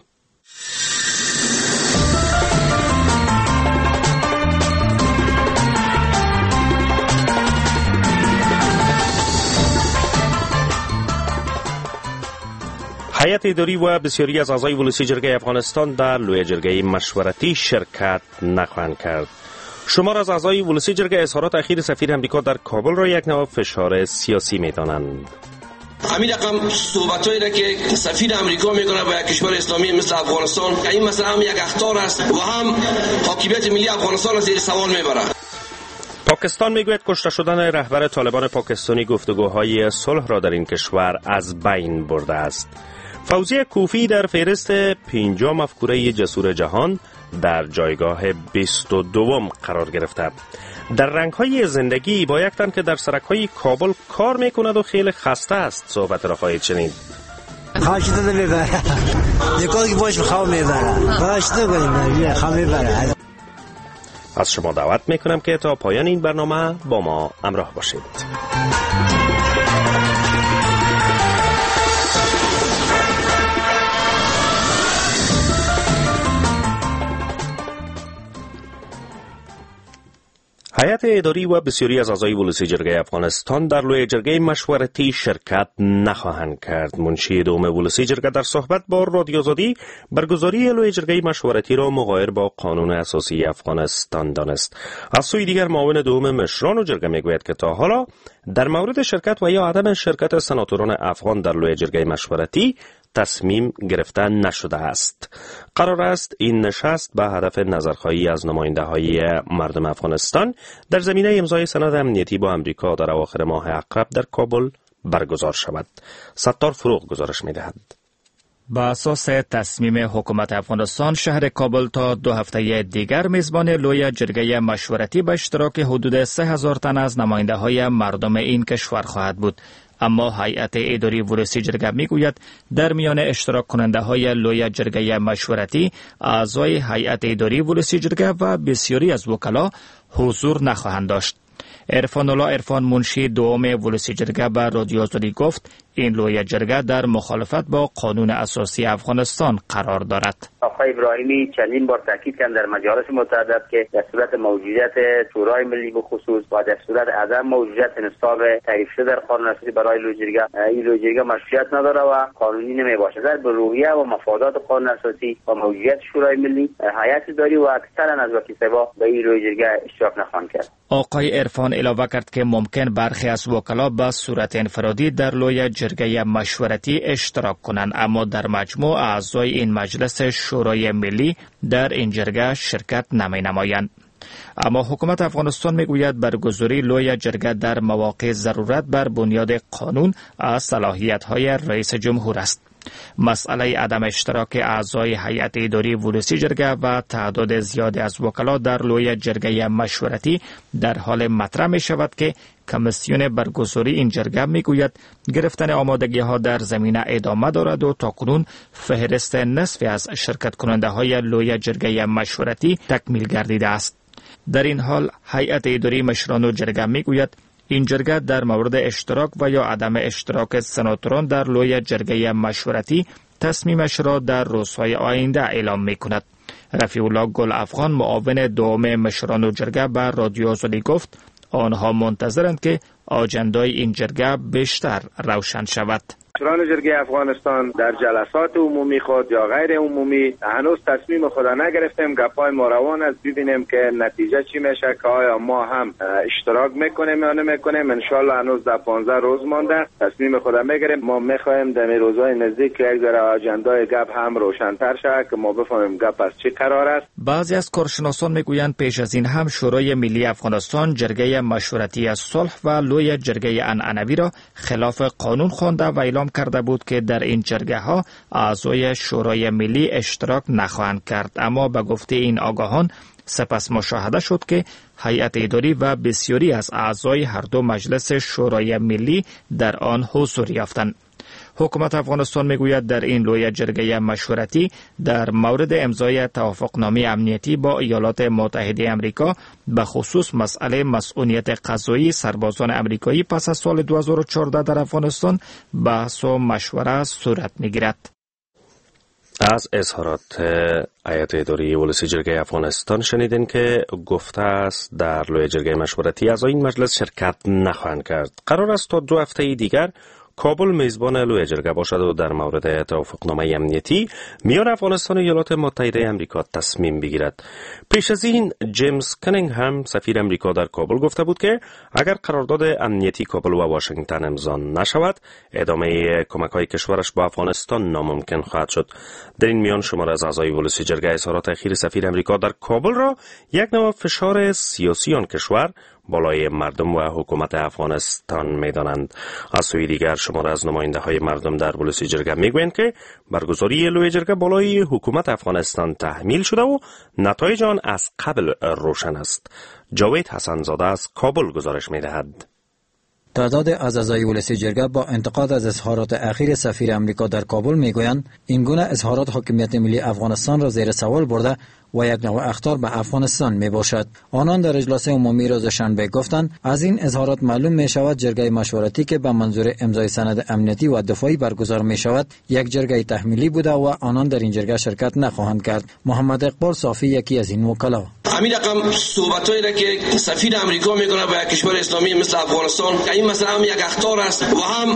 هیئت اداری و بسیاری از اعضای ولسی جرگه افغانستان در لویه جرگه مشورتی شرکت نخواهند کرد. شمار از اعضای ولسی جرگه اظهارات اخیر سفیر امریکا در کابل را یک نوع فشار سیاسی می‌دانند. همین رقم صحبتایی را که سفیر امریکا میکنه با یک کشور اسلامی مثل افغانستان، این مثلا هم یک اخطار است و هم حاکمیت ملی افغانستان را زیر سوال میبره. پاکستان میگوید کشته شدن رهبر طالبان پاکستانی گفتگوهای صلح را در این کشور از بین برده است. فوزی کوفی در فهرست پنجاه مفکوره جسور جهان در جایگاه بیست و دوم قرار گرفته. در رنگ‌های زندگی با یک تن که در سرک‌های کابل کار میکند و خیلی خسته است صحبت را خواهید شنید. خواهشتو میبره. یکی باش خواب میبره. خواهشتو میبره. خواب میبره. از شما دعوت میکنم که تا پایان این برنامه با ما همراه باشید. هیئت اداری و بسیاری از اعضای ولسی جرگه افغانستان در لویه جرگه مشورتی شرکت نخواهند کرد. منشی دوم ولسی جرگه در صحبت با رادیو آزادی برگزاری لویه جرگه مشورتی را مغایر با قانون اساسی افغانستان دانست. از سوی دیگر معاون دوم مشران و جرگه میگوید که تا حالا در مورد شرکت و یا عدم شرکت سناتوران افغان در لویه جرگه مشورتی تصمیم گرفته نشده است. قرار است این نشست به هدف نظرخواهی از نماینده های مردم افغانستان در زمینه امضای سند امنیتی با امریکا در اواخر ماه عقرب در کابل برگزار شود. ستار فروغ گزارش می‌دهد. با اساس تصمیم حکومت افغانستان شهر کابل تا دو هفته دیگر میزبان لویه جرگه مشورتی به اشتراک حدود سه هزار تن از نماینده های مردم این کشور خواهد بود. اما هیئت اداری ولسی جرگه میگوید در میان اشتراک کننده های لویه جرگه مشورتی اعضای هیئت اداری ولسی جرگه و بسیاری از وکلا حضور نخواهند داشت. عرفان الله عرفان منشی دوم ولسی جرگه به رادیو آزادی گفت این لویه جرگه در مخالفت با قانون اساسی افغانستان قرار دارد. آقای ابراهیمی چندین بار تاکید کرد در مجالس متعدد که در صورت موجودیت شورای ملی به خصوص و در صورت عدم موجودیت نصاب تعریف شده در قانون اساسی برای لویه جرگه، این لویه جرگه مشروعیت نداره و قانونی نمی باشد. در روحیه و مفادات قانون اساسی و موجودیت شورای ملی هیئت اداری و اکثرا از وکیل صاحبا به این لویه جرگه اشتراک نخواهند کرد. آقای عرفان علاوه کرد که ممکن برخی از وکلا به صورت انفرادی در لویه جرگه مشورتی اشتراک کنند، اما در مجموع اعضای این مجلس شورای ملی در این جرگه شرکت نمی نمایند. اما حکومت افغانستان میگوید برگزاری لویه جرگه در مواقع ضرورت بر بنیاد قانون از صلاحیت‌های رئیس جمهور است. مسئله عدم اشتراک اعضای هیئت اداری ولسی جرگه و تعداد زیاد از وکلا در لویه جرگه مشورتی در حال مطرح می شود که کمیسیون برگزاری این جرگه می گوید گرفتن آمادگی ها در زمینه ادامه دارد و تاکنون فهرست نصفی از شرکت کننده های لویه جرگه مشورتی تکمیل گردیده است. در این حال هیئت اداری مشران جرگه می گوید این جرگه در مورد اشتراک و یا عدم اشتراک سناتوران در لویه جرگه مشورتی تصمیمش را در روزهای آینده اعلام می کند. رفیع الله گل افغان معاون دوم مشران جرگه بر رادیو آزادی گفت آنها منتظرند که آجندای این جرگه بیشتر روشن شود. مشران جرگه افغانستان در جلسات عمومی خود یا غیر عمومی هنوز تصمیم خود نگرفتیم. گپای ما روان است، ببینیم که نتیجه چی میشه، که آیا ما هم اشتراک میکنیم یا نمیکنیم. ان شاء الله هنوز در پانزده روز مانده تصمیم خود میگیریم. ما میخوایم در روزهای نزدیک یک ذره آجندای گپ هم روشن‌تر شود که ما بفهمیم گپ از چی قرار است. بعضی از کارشناسان میگویند پیش از این هم شورای ملی افغانستان جرگه مشورتی از صلح و لویه جرگه عنعنوی را خلاف قانون خوانده و اعلام کرده بود که در این جرگه ها اعضای شورای ملی اشتراک نخواهند کرد. اما به گفته این آگاهان سپس مشاهده شد که هیئت اداری و بسیاری از اعضای هر دو مجلس شورای ملی در آن حضور یافتند. حکومت افغانستان میگوید در این لویه جرگه مشورتی در مورد امضای توافقنامه امنیتی با ایالات متحده امریکا به خصوص مسئله مسئولیت قضایی سربازان امریکایی پس از سال دو هزار و چهارده در افغانستان بحث و مشوره صورت میگیرد. از اظهارات هیئت اداری ولسی جرگه افغانستان شنیدین که گفته است در لویه جرگه مشورتی اعضای این مجلس شرکت نخواهند کرد. قرار است تا دو هفته دیگر کابل میزبان لویه جرگه باشد و در مورد توافقنامه امنیتی میان افغانستان و ایالات متحده امریکا تصمیم بگیرد. پیش از این جیمز کنینگهم سفیر امریکا در کابل گفته بود که اگر قرارداد امنیتی کابل و واشنگتن امضا نشود، ادامه کمک‌های کشورش با افغانستان ناممکن خواهد شد. در این میان شمار از اعضای ولسی جرگه اظهارات اخیر سفیر امریکا در کابل را یک نوع فشار سیاسی آن کشور بالای مردم و حکومت افغانستان می‌دانند. از سوی دیگر شمار از نماینده های مردم در ولسی جرگه میگویند که برگزاری لویه جرگه بالای حکومت افغانستان تحمیل شده و نتایج آن از قبل روشن است. جاوید حسن زاده از کابل گزارش می‌دهد. تعداد از اعضای ولسی جرگه با انتقاد از اظهارات اخیر سفیر امریکا در کابل میگویند این گونه اظهارات حاکمیت ملی افغانستان را زیر سوال برده و یک نوع اخطار به افغانستان می باشد. آنان در اجلاس عمومی روز شنبه گفتند از این اظهارات معلوم می شود جرگه مشورتی که به منظور امضای سند امنیتی و دفاعی برگزار می شود یک جرگه تحمیلی بوده و آنان در این جرگه شرکت نخواهند کرد. محمد اقبال صافی یکی از این وکلا: همین رقم صحبتایی را که سفیر امریکا میکنه به کشور اسلامی مثل افغانستان، این مثلا هم یک اخطار است و هم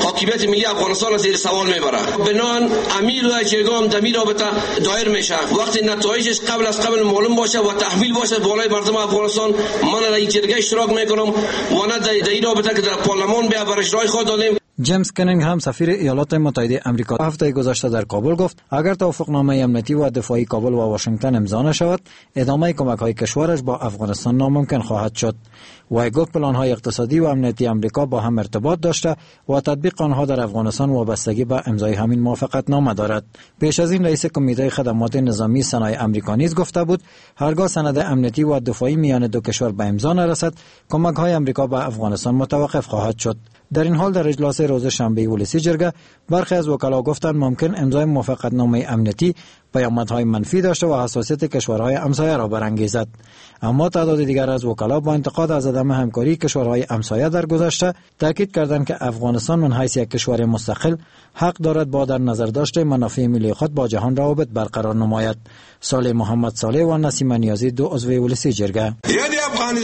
حاکمیت ملی افغانستان را زیر سوال میبره. بنان امیر و جرگه هم دمی رابطه دایر میشه. وقتی نتایجش قبل از قبل معلوم باشه و تحمیل باشه بالای مردم افغانستان، من در این جرگه اشتراک میکنم و نه در این رابطه که در پارلمان به برش رای خود دادیم. جیمز کنینگهم سفیر ایالات متحده امریکا هفته گذشته در کابل گفت اگر توافقنامه امنیتی و دفاعی کابل و واشنگتن امضا نشود، ادامه کمک‌های کشورش با افغانستان ناممکن خواهد شد. وی گفت پلان‌های اقتصادی و امنیتی امریکا با هم ارتباط داشته و تطبیق آنها در افغانستان وابستگی به امضای همین موافقتنامه دارد. پیش از این رئیس کمیته خدمات نظامی سنای امریکا نیز گفته بود هرگاه سند امنیتی و دفاعی میان دو کشور به امضا نرسد، کمک‌های امریکا به افغانستان متوقف خواهد شد. در این حال در اجلاس روز شنبه ولسی جرگه برخی از وکلا گفتند ممکن امضای موافقتنامه امنیتی پیامدهای منفی داشته و حساسیت کشورهای همسایه را برانگیزد. اما تعداد دیگر از وکلا با انتقاد از عدم همکاری کشورهای همسایه در گذشته تاکید کردند که افغانستان من حیث یک کشور مستقل حق دارد با در نظر داشت منافع ملی خود با جهان روابط برقرار نماید. صالح محمد صالح و نسیم نیازی دو عضو ولسی جرگه: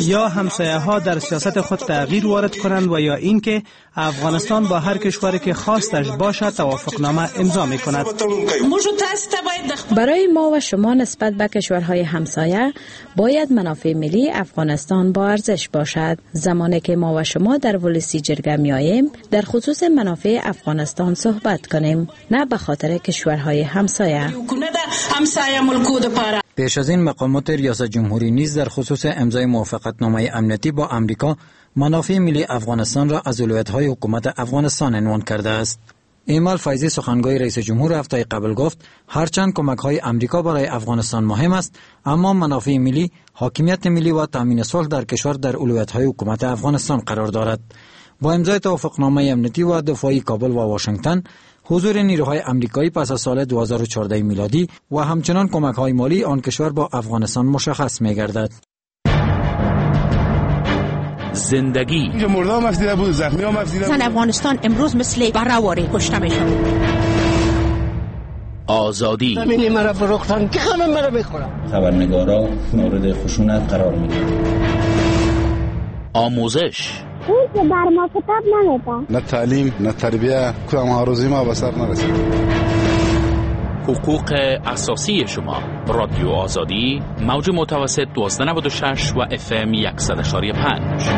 یا همسایه ها در سیاست خود تغییر وارد کنند و یا اینکه افغانستان با هر کشوری که خواستش باشد توافقنامه امضا می کند. برای ما و شما نسبت به کشورهای همسایه باید منافع ملی افغانستان با ارزش باشد. زمانی که ما و شما در ولسی جرگه میاییم در خصوص منافع افغانستان صحبت کنیم، نه به خاطر کشورهای همسایه. پیش از این مقامات ریاست جمهوری نیز در خصوص امضای موافقتنامه امنیتی با امریکا منافع ملی افغانستان را از اولویت‌های حکومت افغانستان عنوان کرده است. ایمال فیضی سخنگوی رئیس جمهور هفته قبل گفت هرچند کمک‌های امریکا برای افغانستان مهم است، اما منافع ملی، حاکمیت ملی و تامین صلح در کشور در اولویت‌های حکومت افغانستان قرار دارد. با امضای توافقنامه امنیتی و دفاعی کابل و واشنگتن، حضور نیروهای امریکایی پس از سال دو هزار و چهارده میلادی و همچنان کمک‌های مالی آن کشور با افغانستان مشخص می‌گردد. زندگی اینجا مرده هم افزیده بود، زخمی هم افزیده بود. زن افغانستان امروز مثل براواری کشته میشه. آزادی زمینی مرا فروختن که همه مرا بخورن. خبرنگارا مورد خشونت قرار میگیرن. آموزش او بر ما کتاب نمیده، نه تعلیم نه تربیه، کدام آرزوی ما به سر نرسید. حقوق اساسی شما، رادیو آزادی، موج متوسط دوازده نود و شش و اف ام صد و یک ممیز پنج.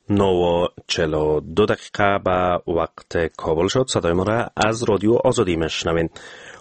نه و چهل و دو دقیقه به وقت کابل شد. صدای ما را از رادیو آزادی میشنوین.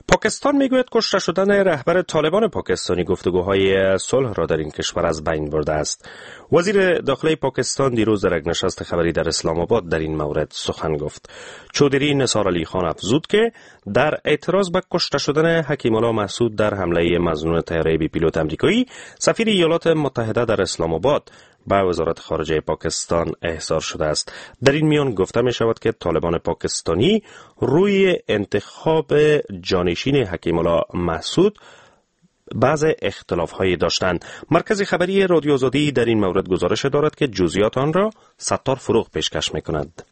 پاکستان میگوید کشته شدن رهبر طالبان پاکستانی گفتگوهای صلح را در این کشور از بین برده است. وزیر داخله پاکستان دیروز در یک نشست خبری در اسلام آباد در این مورد سخن گفت. چودری نثار علی خان افزود که در اعتراض به کشته شدن حکیم الله محسود در حمله مظنون طیاره بی پیلوت امریکایی، سفیر ایالات متحده در اسلام آباد به وزارت خارجه پاکستان احضار شده است. در این میان گفته می شود که طالبان پاکستانی روی انتخاب جانشین حکیم الله محسود بعض اختلاف هایی داشتند. مرکز خبری رادیو آزادی در این مورد گزارش دارد که جزئیات آن را ستار فروغ پیشکش می کند.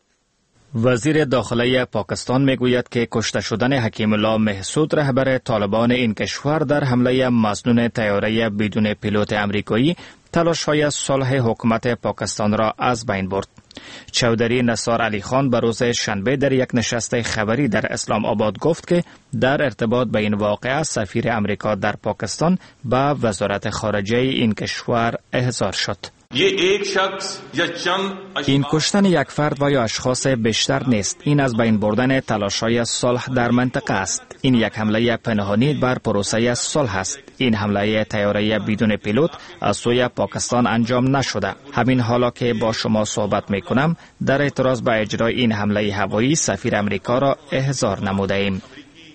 وزیر داخله پاکستان میگوید که کشته شدن حکیم الله محسود رهبر طالبان این کشور در حمله مظنون طیاره بدون پیلوت امریکایی تلاش‌های صلح حکومت پاکستان را از بین برد. چودری نثار علی خان به روز شنبه در یک نشست خبری در اسلام آباد گفت که در ارتباط به این واقعه سفیر امریکا در پاکستان به وزارت خارجه این کشور احضار شد. این کشتن یک فرد و یا اشخاص بیشتر نیست. این از بین بردن تلاش‌های صلح در منطقه است. این یک حمله پنهانی بر پروسه صلح است. این حمله طیاره بدون پیلوت از سوی پاکستان انجام نشده. همین حالا که با شما صحبت میکنم در اعتراض به اجرای این حمله هوایی سفیر امریکا را احضار نموده ایم.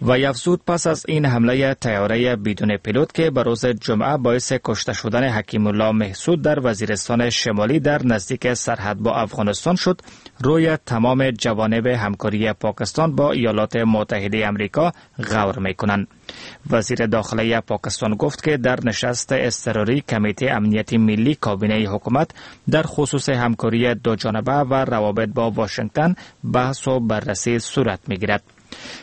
و افزود پس از این حمله طیاره بدون پیلوت که به روز جمعه باعث کشته شدن حکیم الله محسود در وزیرستان شمالی در نزدیک سرحد با افغانستان شد، روی تمام جوانب همکاری پاکستان با ایالات متحده امریکا غور میکنند. وزیر داخله پاکستان گفت که در نشست اضطراری کمیته امنیت ملی کابینه حکومت در خصوص همکاری دو جانبه و روابط با واشنگتن بحث و بررسی صورت میگیرد.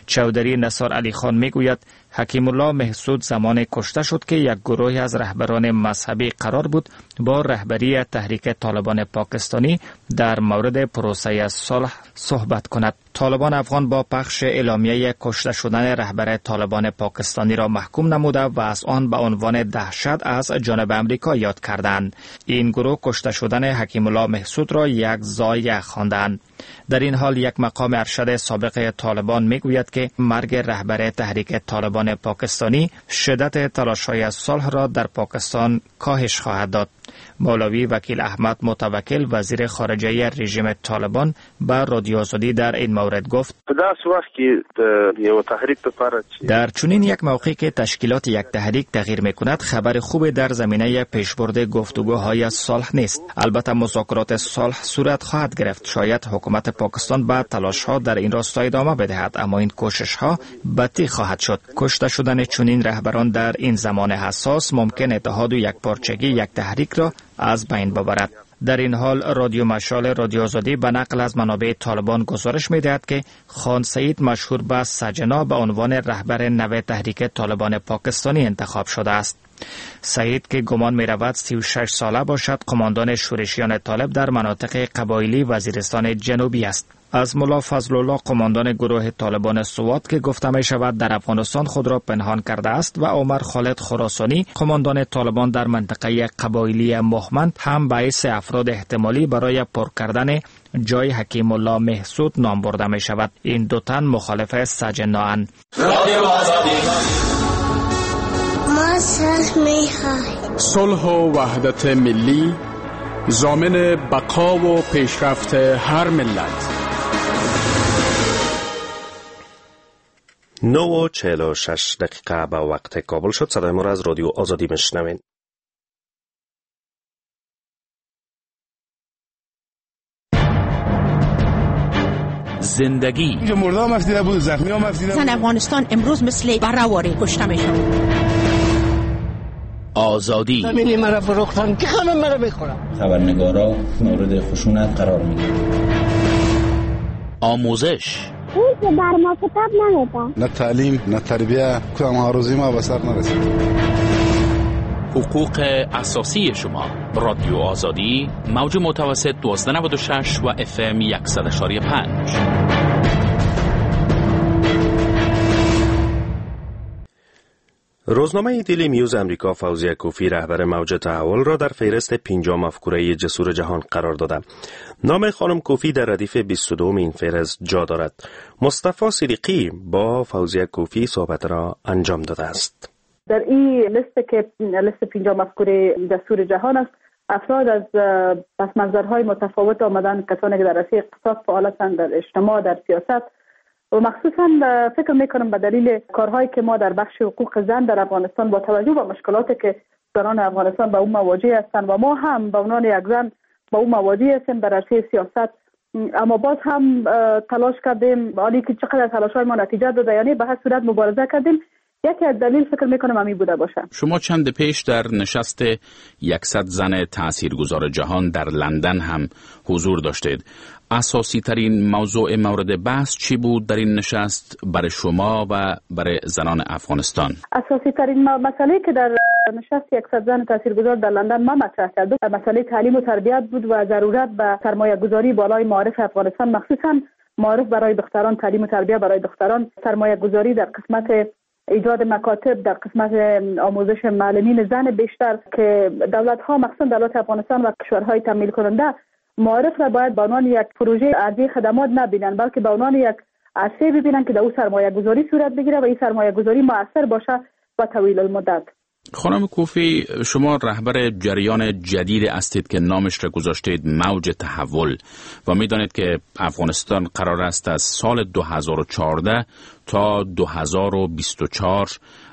چودری نثار علی خان میگوید حکیم الله محسود زمان کشته شد که یک گروه از رهبران مذهبی قرار بود با رهبری تحریک طالبان پاکستانی در مورد پروسه صلح صحبت کند. طالبان افغان با پخش اعلامیه کشته شدن رهبر طالبان پاکستانی را محکوم نموده و از آن به عنوان دهشت از جانب امریکا یاد کردند. این گروه کشته شدن حکیم الله محسود را یک ضایعه خواندند. در این حال یک مقام ارشد سابق طالبان میگوید که مرگ رهبر تحریک طالبان پاکستانی شدت تلاش‌های صلح را در پاکستان کاهش خواهد داد. مولوی وکیل احمد متوکل وزیر خارجه رژیم طالبان به رادیو آزادی در این مورد مورد گفت: در چنین یک موقعی که تشکیلات یک تحریک تغییر میکند، خبر خوب در زمینه پیشبرد گفتگوهای صلح نیست. البته مذاکرات صلح صورت خواهد گرفت. شاید حکومت پاکستان به تلاش‌ها در این راستا ادامه بدهد، اما این کوشش‌ها بطی خواهد شد. کشته شدن چنین رهبران در این زمان حساس ممکن اتحاد و یکپارچگی یک تحریک را از بین ببرد. در این حال رادیو مشال رادیو آزادی به نقل از منابع طالبان گزارش می‌دهد که خان سعید مشهور به سجنا به عنوان رهبر نو تحریک طالبان پاکستانی انتخاب شده است. سعید که گمان می‌رود سی و شش ساله باشد، قماندان شورشیان طالب در مناطق قبایلی وزیرستان جنوبی است. از ملا فضل الله قماندان گروه طالبان سوات که گفته می شود در افغانستان خود را پنهان کرده است و عمر خالد خراسانی قماندان طالبان در منطقه قبایلی مهمند هم باعث افراد احتمالی برای پر کردن جای حکیم الله محسود نام برده می شود. این دو تن مخالف سجنااند. ما صلح می خواهیم. صلح و وحدت ملی ضامن بقا و پیشرفت هر ملت. نه و چهل و شش دقیقه به وقت کابل شد. صدای ما را از رادیو آزادی میشنوین. زندگی اینجا مرده هم افتیده بود، زخمی هم افتیده بود. زن افغانستان امروز مثل برواری کشته میشه. آزادی زمینی مرا فروختن که خانم مرا بخورم. خبرنگارا مورد خشونت قرار میگیرند. آموزش او که بر ما کتاب نمیده، نه تعلیم نه تربیه، کدام آرزوی ما به سر نرسید. حقوق اساسی شما، رادیو آزادی، موج متوسط دوازده نود و شش و اف ام صد و پنج. روزنامه دیلی نیوز امریکا فوزیه کوفی رهبر موج تحول را در فهرست پنجاه مفکوره جسور جهان قرار داده. نام خانم کوفی در ردیف بیست و دو این فهرست جا دارد. مصطفی صدیقی با فوزیه کوفی صحبت را انجام داده است. در این لیست که لیست پنجاه مفکوره جسور جهان است، افراد از پس منظرهای متفاوت آمدن، کسانی که در عرصه اقتصاد فعال هستند، در اجتماع، در سیاست، و مخصوصا فکر میکنم به دلیل کارهایی که ما در بخش حقوق زن در افغانستان با توجه به مشکلاتی که زنان افغانستان با اون مواجه هستند و ما هم به عنوان یک زن با اون مواجه هستیم در عرصه سیاست، اما باز هم تلاش کردیم، حالی که چقدر تلاش‌های ما نتیجه داده، یعنی به هر صورت مبارزه کردیم. یکی از دلیل فکر میکنم همین بوده باشه. شما چند پیش در نشست صد زن تاثیرگذار جهان در لندن هم حضور داشتید. اساسی ترین موضوع مورد بحث چی بود در این نشست برای شما و برای زنان افغانستان؟ اساسی ترین مسئله که در نشست صد زن تاثیرگذار در لندن ما مطرح کردم، مسئله تعلیم و تربیت بود و ضرورت به سرمایه گذاری بالای معارف افغانستان، مخصوصا معارف برای دختران، تعلیم و تربیت برای دختران، سرمایه گذاری در قسمت ایجاد مکاتب، در قسمت آموزش معلمین زن بیشتر که دولت‌ها مخصوصا دولت افغانستان و کشورهای تمویل کننده معارف را باید به عنوان یک پروژه ارزی خدمات نبینن، بلکه به عنوان یک عرصه ببینن که در او سرمایه گذاری صورت بگیره و این سرمایه گذاری مؤثر باشه و طویل المدت. خانم کوفی، شما رهبر جریان جدید هستید که نامش را گذاشتید موج تحول و میدانید که افغانستان قرار است از سال دو هزار و چهارده تا دو هزار و بیست و چهار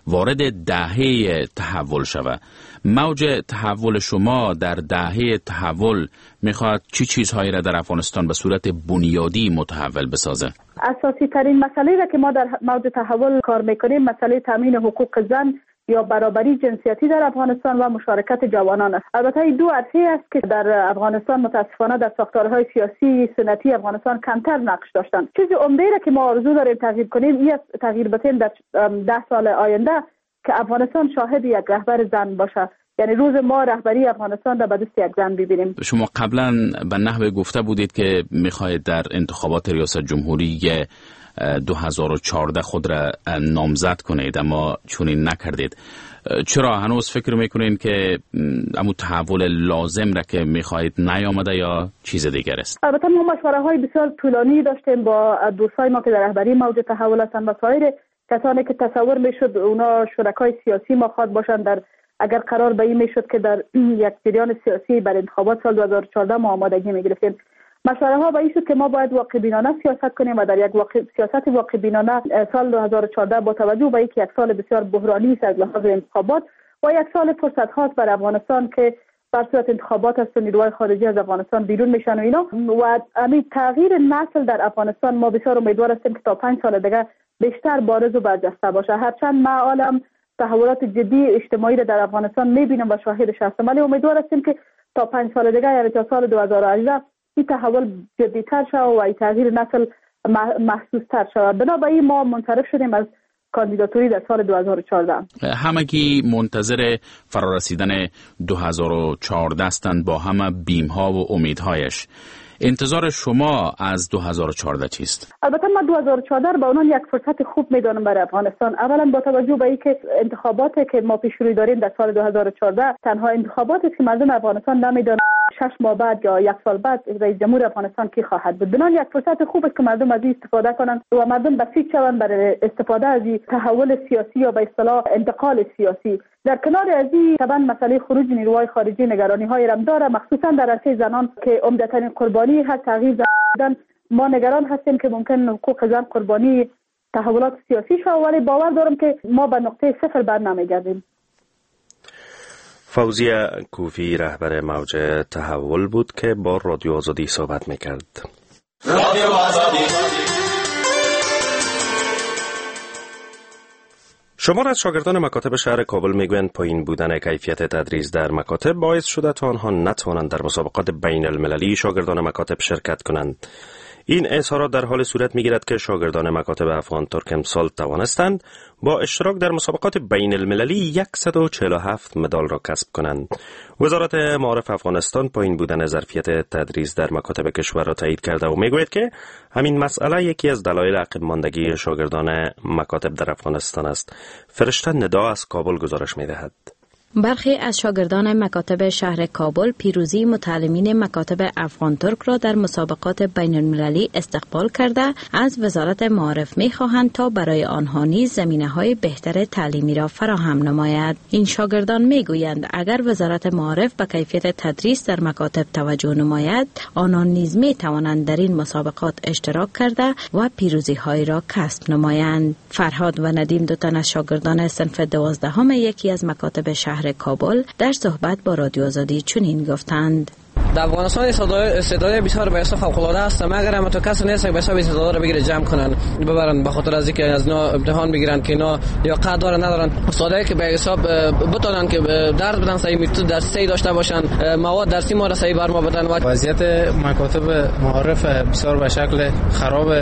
وارد دهه تحول شود. موج تحول شما در دهه تحول میخواد چی چیزهایی را در افغانستان به صورت بنیادی متحول بسازه؟ اساسی ترین مسئله را که ما در موج تحول کار میکنیم، مسئله تامین حقوق زن یا برابری جنسیتی در افغانستان و مشارکت جوانان است. البته این دو عرصه است که در افغانستان متاسفانه در ساختارهای سیاسی سنتی افغانستان کمتر نقش داشتند. چیز عمده را که ما آرزو داریم تغییر کنیم، این تغییر بدیم در ده سال آینده که افغانستان شاهد یک رهبر زن باشه، یعنی روز ما رهبری افغانستان را به دست یک زن ببینیم. شما قبلا به نحو گفته بودید که میخواهید در انتخابات ریاست جمهوری دو هزار و چهارده خود را نامزد کنید، اما چنین نکردید. چرا هنوز فکر میکنین که امو تحول لازم را که میخواهید نیامده یا چیز دیگر است؟ البته ما مشوره های بسیار طولانی داشتیم با دوستای ما که در رهبری موج تحول هستند و سایر کسانی که تصور میشد اونا شرکای سیاسی ما خواد باشند، در اگر قرار به این میشد که در یک جریان سیاسی بر انتخابات سال دو هزار و چهارده ما آمادگی میگرفتیم. مشوره ها به این شد که ما باید واقع بینانه سیاست کنیم و در یک واقع سیاست واقع بینانه سال دو هزار و چهارده با توجه به اینکه یک سال بسیار بحرانی است از لحاظ انتخابات و یک سال فرصت هاست بر افغانستان که بر صورت انتخابات است و نیروهای خارجی از افغانستان بیرون میشن و اینا و همین تغییر نسل در افغانستان ما بسیار امیدوار هستیم که تا پنج سال دیگه بیشتر بارز و برجسته باشه. هرچند ما عالم تحولات جدی اجتماعی را در افغانستان میبینم و شاهدش هستم، ولی امیدوار هستیم که تا پنج سال دیگه یعنی تا سال دو هزار و هجده این تحول جدی‌تر شود و این تغییر نسل محسوس‌تر شود. بنابراین ما منصرف شدیم از کاندیداتوری در سال دو هزار و چهارده. همگی منتظر فرارسیدن دو هزار و چهارده هستند با همه بیم‌ها و امیدهایش. انتظار شما از دو هزار و چهارده چیست؟ البته من دو هزار و چهارده به عنوان یک فرصت خوب میدانم برای افغانستان. اولا با توجه به اینکه انتخاباتی که ما پیش روی داریم در سال دو هزار و چهارده تنها انتخاباتی است که مردم افغانستان نمیدانند شش ماه بعد یا یک سال بعد رئیس جمهور افغانستان کی خواهد بود. بنابراین یک فرصت خوب است که مردم از این استفاده کنند و مردم بسیج شوند برای استفاده از این تحول سیاسی یا به اصطلاح انتقال سیاسی. در کنار از این طبعا مسئله خروج نیروهای خارجی نگرانی های رم داره، مخصوصا در عرصه زنان که عمدتاً قربانی هر تغییر زن. ما نگران هستیم که ممکن حقوق زن قربانی تحولات سیاسی شود، ولی باور دارم که ما به نقطه صفر بر نمیگردیم. فوزیه کوفی رهبر موج تحول بود که با رادیو آزادی صحبت میکرد. رادیو آزادی. شمار از شاگردان مکاتب شهر کابل میگویند پایین بودن کیفیت تدریس در مکاتب باعث شده تا آنها نتوانند در مسابقات بین المللی شاگردان مکاتب شرکت کنند. این اظهارات در حال صورت میگیرد که شاگردان مکاتب افغان ترک امسال توانستند با اشتراک در مسابقات بین المللی صد و چهل و هفت مدال را کسب کنند. وزارت معارف افغانستان پایین بودن ظرفیت تدریس در مکاتب کشور را تایید کرده و میگوید که همین مسئله یکی از دلایل عقب ماندگی شاگردان مکاتب در افغانستان است. فرشته ندا از کابل گزارش میدهد. برخی از شاگردان مکاتب شهر کابل پیروزی متعلمین مکاتب افغان ترک را در مسابقات بین المللی استقبال کرده از وزارت معارف می خواهند تا برای آنها نیز زمینه های بهتر تعلیمی را فراهم نماید. این شاگردان می گویند اگر وزارت معارف به کیفیت تدریس در مکاتب توجه نماید، آنان نیز می توانند در این مسابقات اشتراک کرده و پیروزی های را کسب نمایند. فرهاد و ندیم دو تن از شاگردان صنف دوازدهم یکی از مکاتب شهر کابل در صحبت با رادیو آزادی چنین گفتند: در افغانستان استعداد بسیار به حساب فوق العاده است، مگر هم تو کس نیست که به حساب استعداد را بگیره جمع کنن ببرن، به خاطر از اینکه از اینا امتحان بگیرن که اینا یا قد دارن ندارن. استادایی که به حساب بتونن که درس بدن، صحیح متد درسی داشته باشن، مواد درسی ما را صحیح بر ما بدن. وضعیت مکاتب معارف بسیار به شکل خراب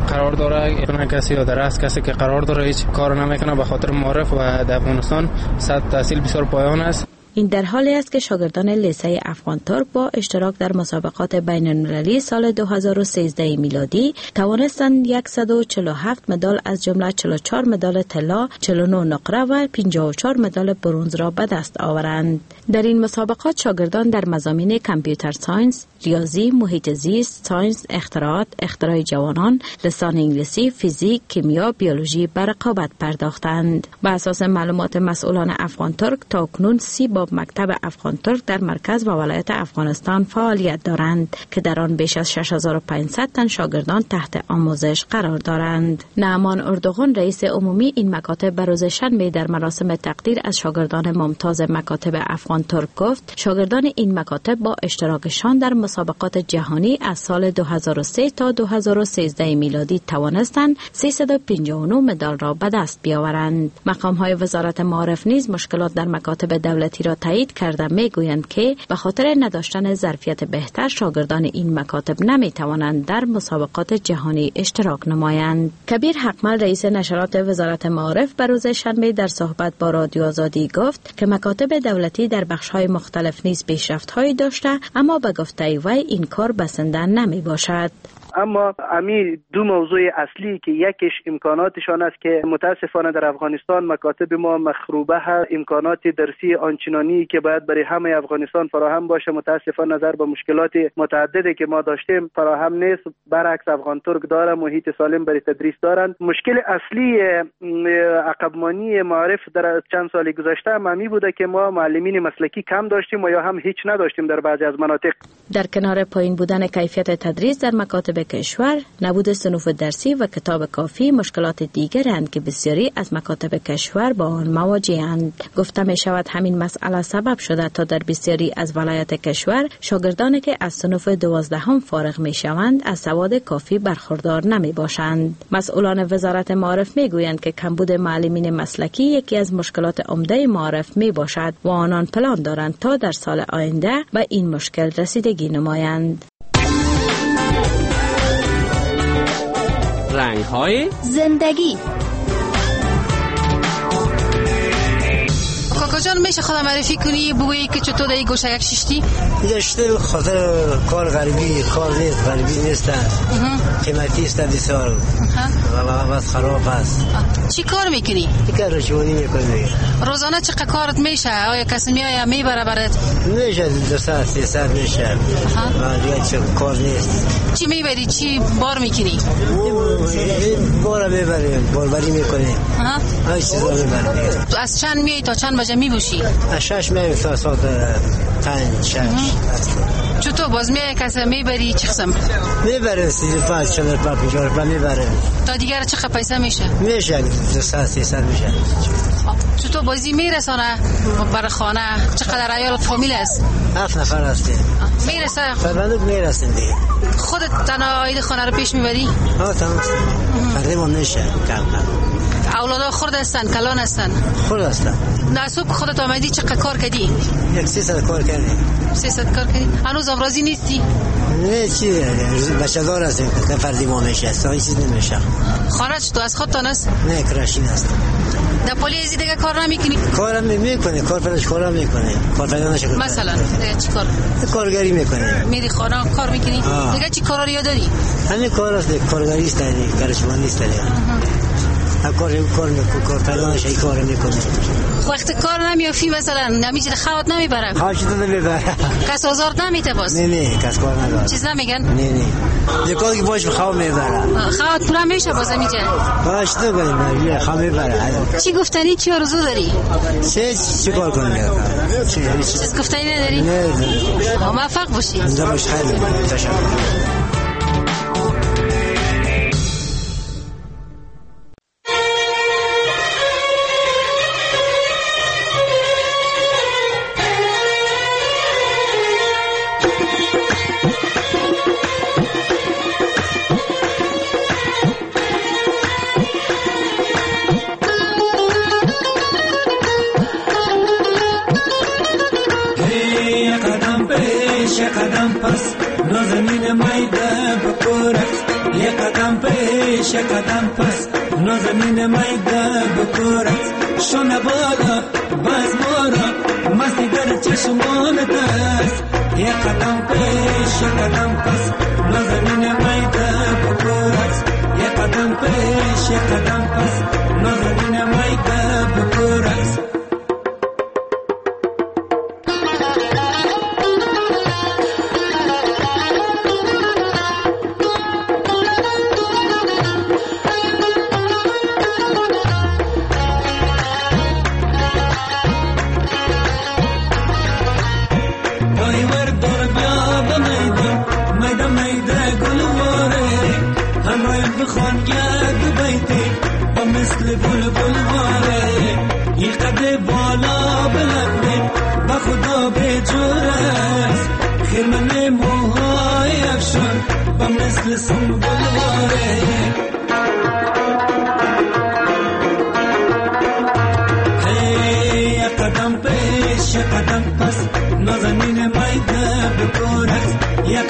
قرار داره. کسی یا درس کسی که قرار داره هیچ کار نمیکنه به خاطر معارف و در افغانستان سطح تحصیل بسیار پایان است. این در حالی است که شاگردان لیسه افغان ترک با اشتراک در مسابقات بین المللی سال دو هزار و سیزده میلادی توانستند صد و چهل و هفت مدال از جمله چهل و چهار مدال طلا، چهل و نه نقره و پنجاه و چهار مدال برنز را به دست آورند. در این مسابقات شاگردان در مضامین computer science، ریاضی، محیط زیست، ساینس، اختراعات، اختراع جوانان، لسان انگلیسی، فیزیک، کیمیا، بیولوژی به رقابت پرداختند. بر اساس معلومات مسئولان افغان ترک تاکنون سی باب مکتب افغان ترک در مرکز و ولایت افغانستان فعالیت دارند که در آن بیش از شش هزار و پانصد تن شاگردان تحت آموزش قرار دارند. نعمان اردوغان رئیس عمومی این مکاتب به روز شنبه در مراسم تقدیر از شاگردان ممتاز مکاتب افغان ترک گفت شاگردان این مکاتب با اشتراکشان در مسابقات جهانی از سال دو هزار و سه تا دو هزار و سیزده میلادی توانستند سیصد و پنجاه و نه مدال را به دست بیاورند. مقام‌های وزارت معارف نیز مشکلات در مکاتب دولتی را تایید کرده میگویند که به خاطر نداشتن ظرفیت بهتر شاگردان این مکاتب نمیتوانند در مسابقات جهانی اشتراک نمایند. کبیر حقمل رئیس نشرات وزارت معارف به روز شنبه در صحبت با رادیو آزادی گفت که مکاتب دولتی در بخش‌های مختلف نیز پیشرفت‌هایی داشته، اما به گفته وی این کار بسنده نمی باشد. اما امی دو موضوع اصلی که یکیش امکاناتشان است که متاسفانه در افغانستان مکاتب ما مخروبه هست، امکانات درسی آنچنانی که باید برای همه افغانستان فراهم باشه متاسفانه نظر به مشکلات متعددی که ما داشتیم فراهم نیست. برعکس افغان ترک داره، محیط سالم برای تدریس دارند. مشکل اصلی عقبمانی معارف در چند سال گذشته همی بوده که ما معلمین مسلکی کم داشتیم و یا هم هیچ نداشتیم در بعضی از مناطق. در کنار پایین بودن کیفیت تدریس در مکاتب کشور، نبود صنوف درسی و کتاب کافی مشکلات دیگرند که بسیاری از مکاتب کشور با آن مواجهند. گفته می شود همین مسئله سبب شده تا در بسیاری از ولایات کشور شاگردانی که از صنوف دوازدهم فارغ می شوند از سواد کافی برخوردار نمی باشند. مسئولان وزارت معارف می گویند که کمبود معلمین مسلکی یکی از مشکلات عمده معارف می باشد و آنان پلان دارند تا در سال آینده به این مشکل رسیدگی نمایند. رنگ‌های زندگی. کاکا جان میشه خدا معرفی کنی بگویی که چطور در این گوشه یک ششتی؟ اینجا خاطر کار غریبی، کار نیست، غریبی نیست، قیمتی است بسیار و بس خراب است. چی کار میکنی؟ کار رشوانی میکنی. روزانه چقدر کارت میشه؟ آیا کسی میآید میبره برات؟ میشه دو ساعت سه ساعت میشه. دیگه چه کار نیست. چی میبری؟ چی بار میکنی؟ بار میبریم، باربری میکنیم. ها چیزا میبریم. تو از چند میای تا چند بجه میبوشی؟ از شش میایم تا ساعت پنج شش. چطور باز میای کسی میبری چه قسم؟ میبریم سی و پنج چهل و پنج پنجاه و میبریم. تا دیگر چقدر پیسه میشه؟ میشه دو ساعت سه ساعت میشه. چطور بازی میرسانه برای خانه؟ چقدر عیال فامیل است؟ هفت نفر هستیم. میرسه؟ فرمانده میرسیم دیگه. خودت تنها عاید خانه رو پیش میبری؟ ها تمام. فردی ما میشه کم کم. اولادا خرد هستن کلان هستن؟ خرد هستن. نه صبح خودت آمدی چقدر کار کردی؟ یک سه ساعت کار کردیم. سه ساعت کار کردی؟ هنوز راضی نیستی؟ نه چی بچه دار هستیم که فردی ما میشه این چیز نمیشه. خانه چطور از خودتان است؟ نه کراشین است. در پلی ازی دیگه کار نمیکنی؟ کارم میکنه، کار پیداش کارم میکنه، کار پیدا نشه. مثلا چی کار؟ کارگری میکنه. میری خانه کار میکنی؟ دیگه چی کارا رو یاد داری؟ همین کار است، کارگری است، کارشوانی است. کار کار میکنه، کار پیدا نشه کار میکنه. وقت کار نمیافی مثلا نمیشه خوات نمیبره. خوات نمیبره. کس آزار نمیته باز. نه نه کس کار نداره. چیز نمیگن؟ نه نه. دیگه که باش خواب میبره. خوات پورا میشه باز میجه. باش تو بگم خواب میبره. چی گفتنی چی آرزو داری؟ چه چی کار کنم؟ چیز گفتنی نداری؟ نه. موفق باشی. زنده باش خیلی تشکر. قدم پس نازنین میده بکورت شونه بالا باز مارا مستی در چشمانت است. یک قدم پیش یک قدم پس نازنین میده بکورت یک قدم پیش یک قدم پس نازنین میده بکورت.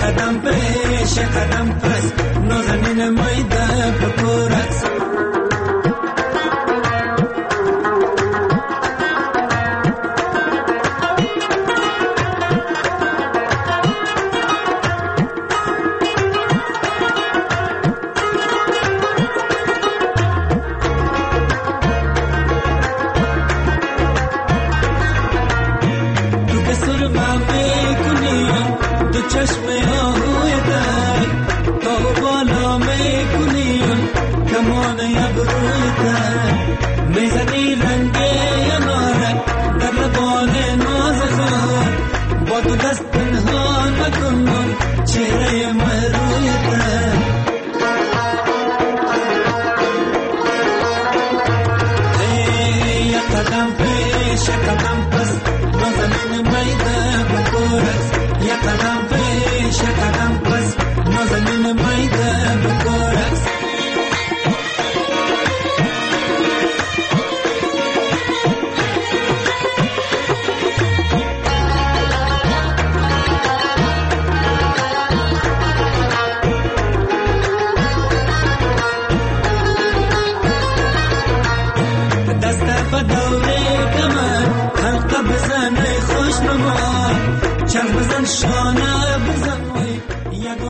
قدم پیش قدم پس نازنین میده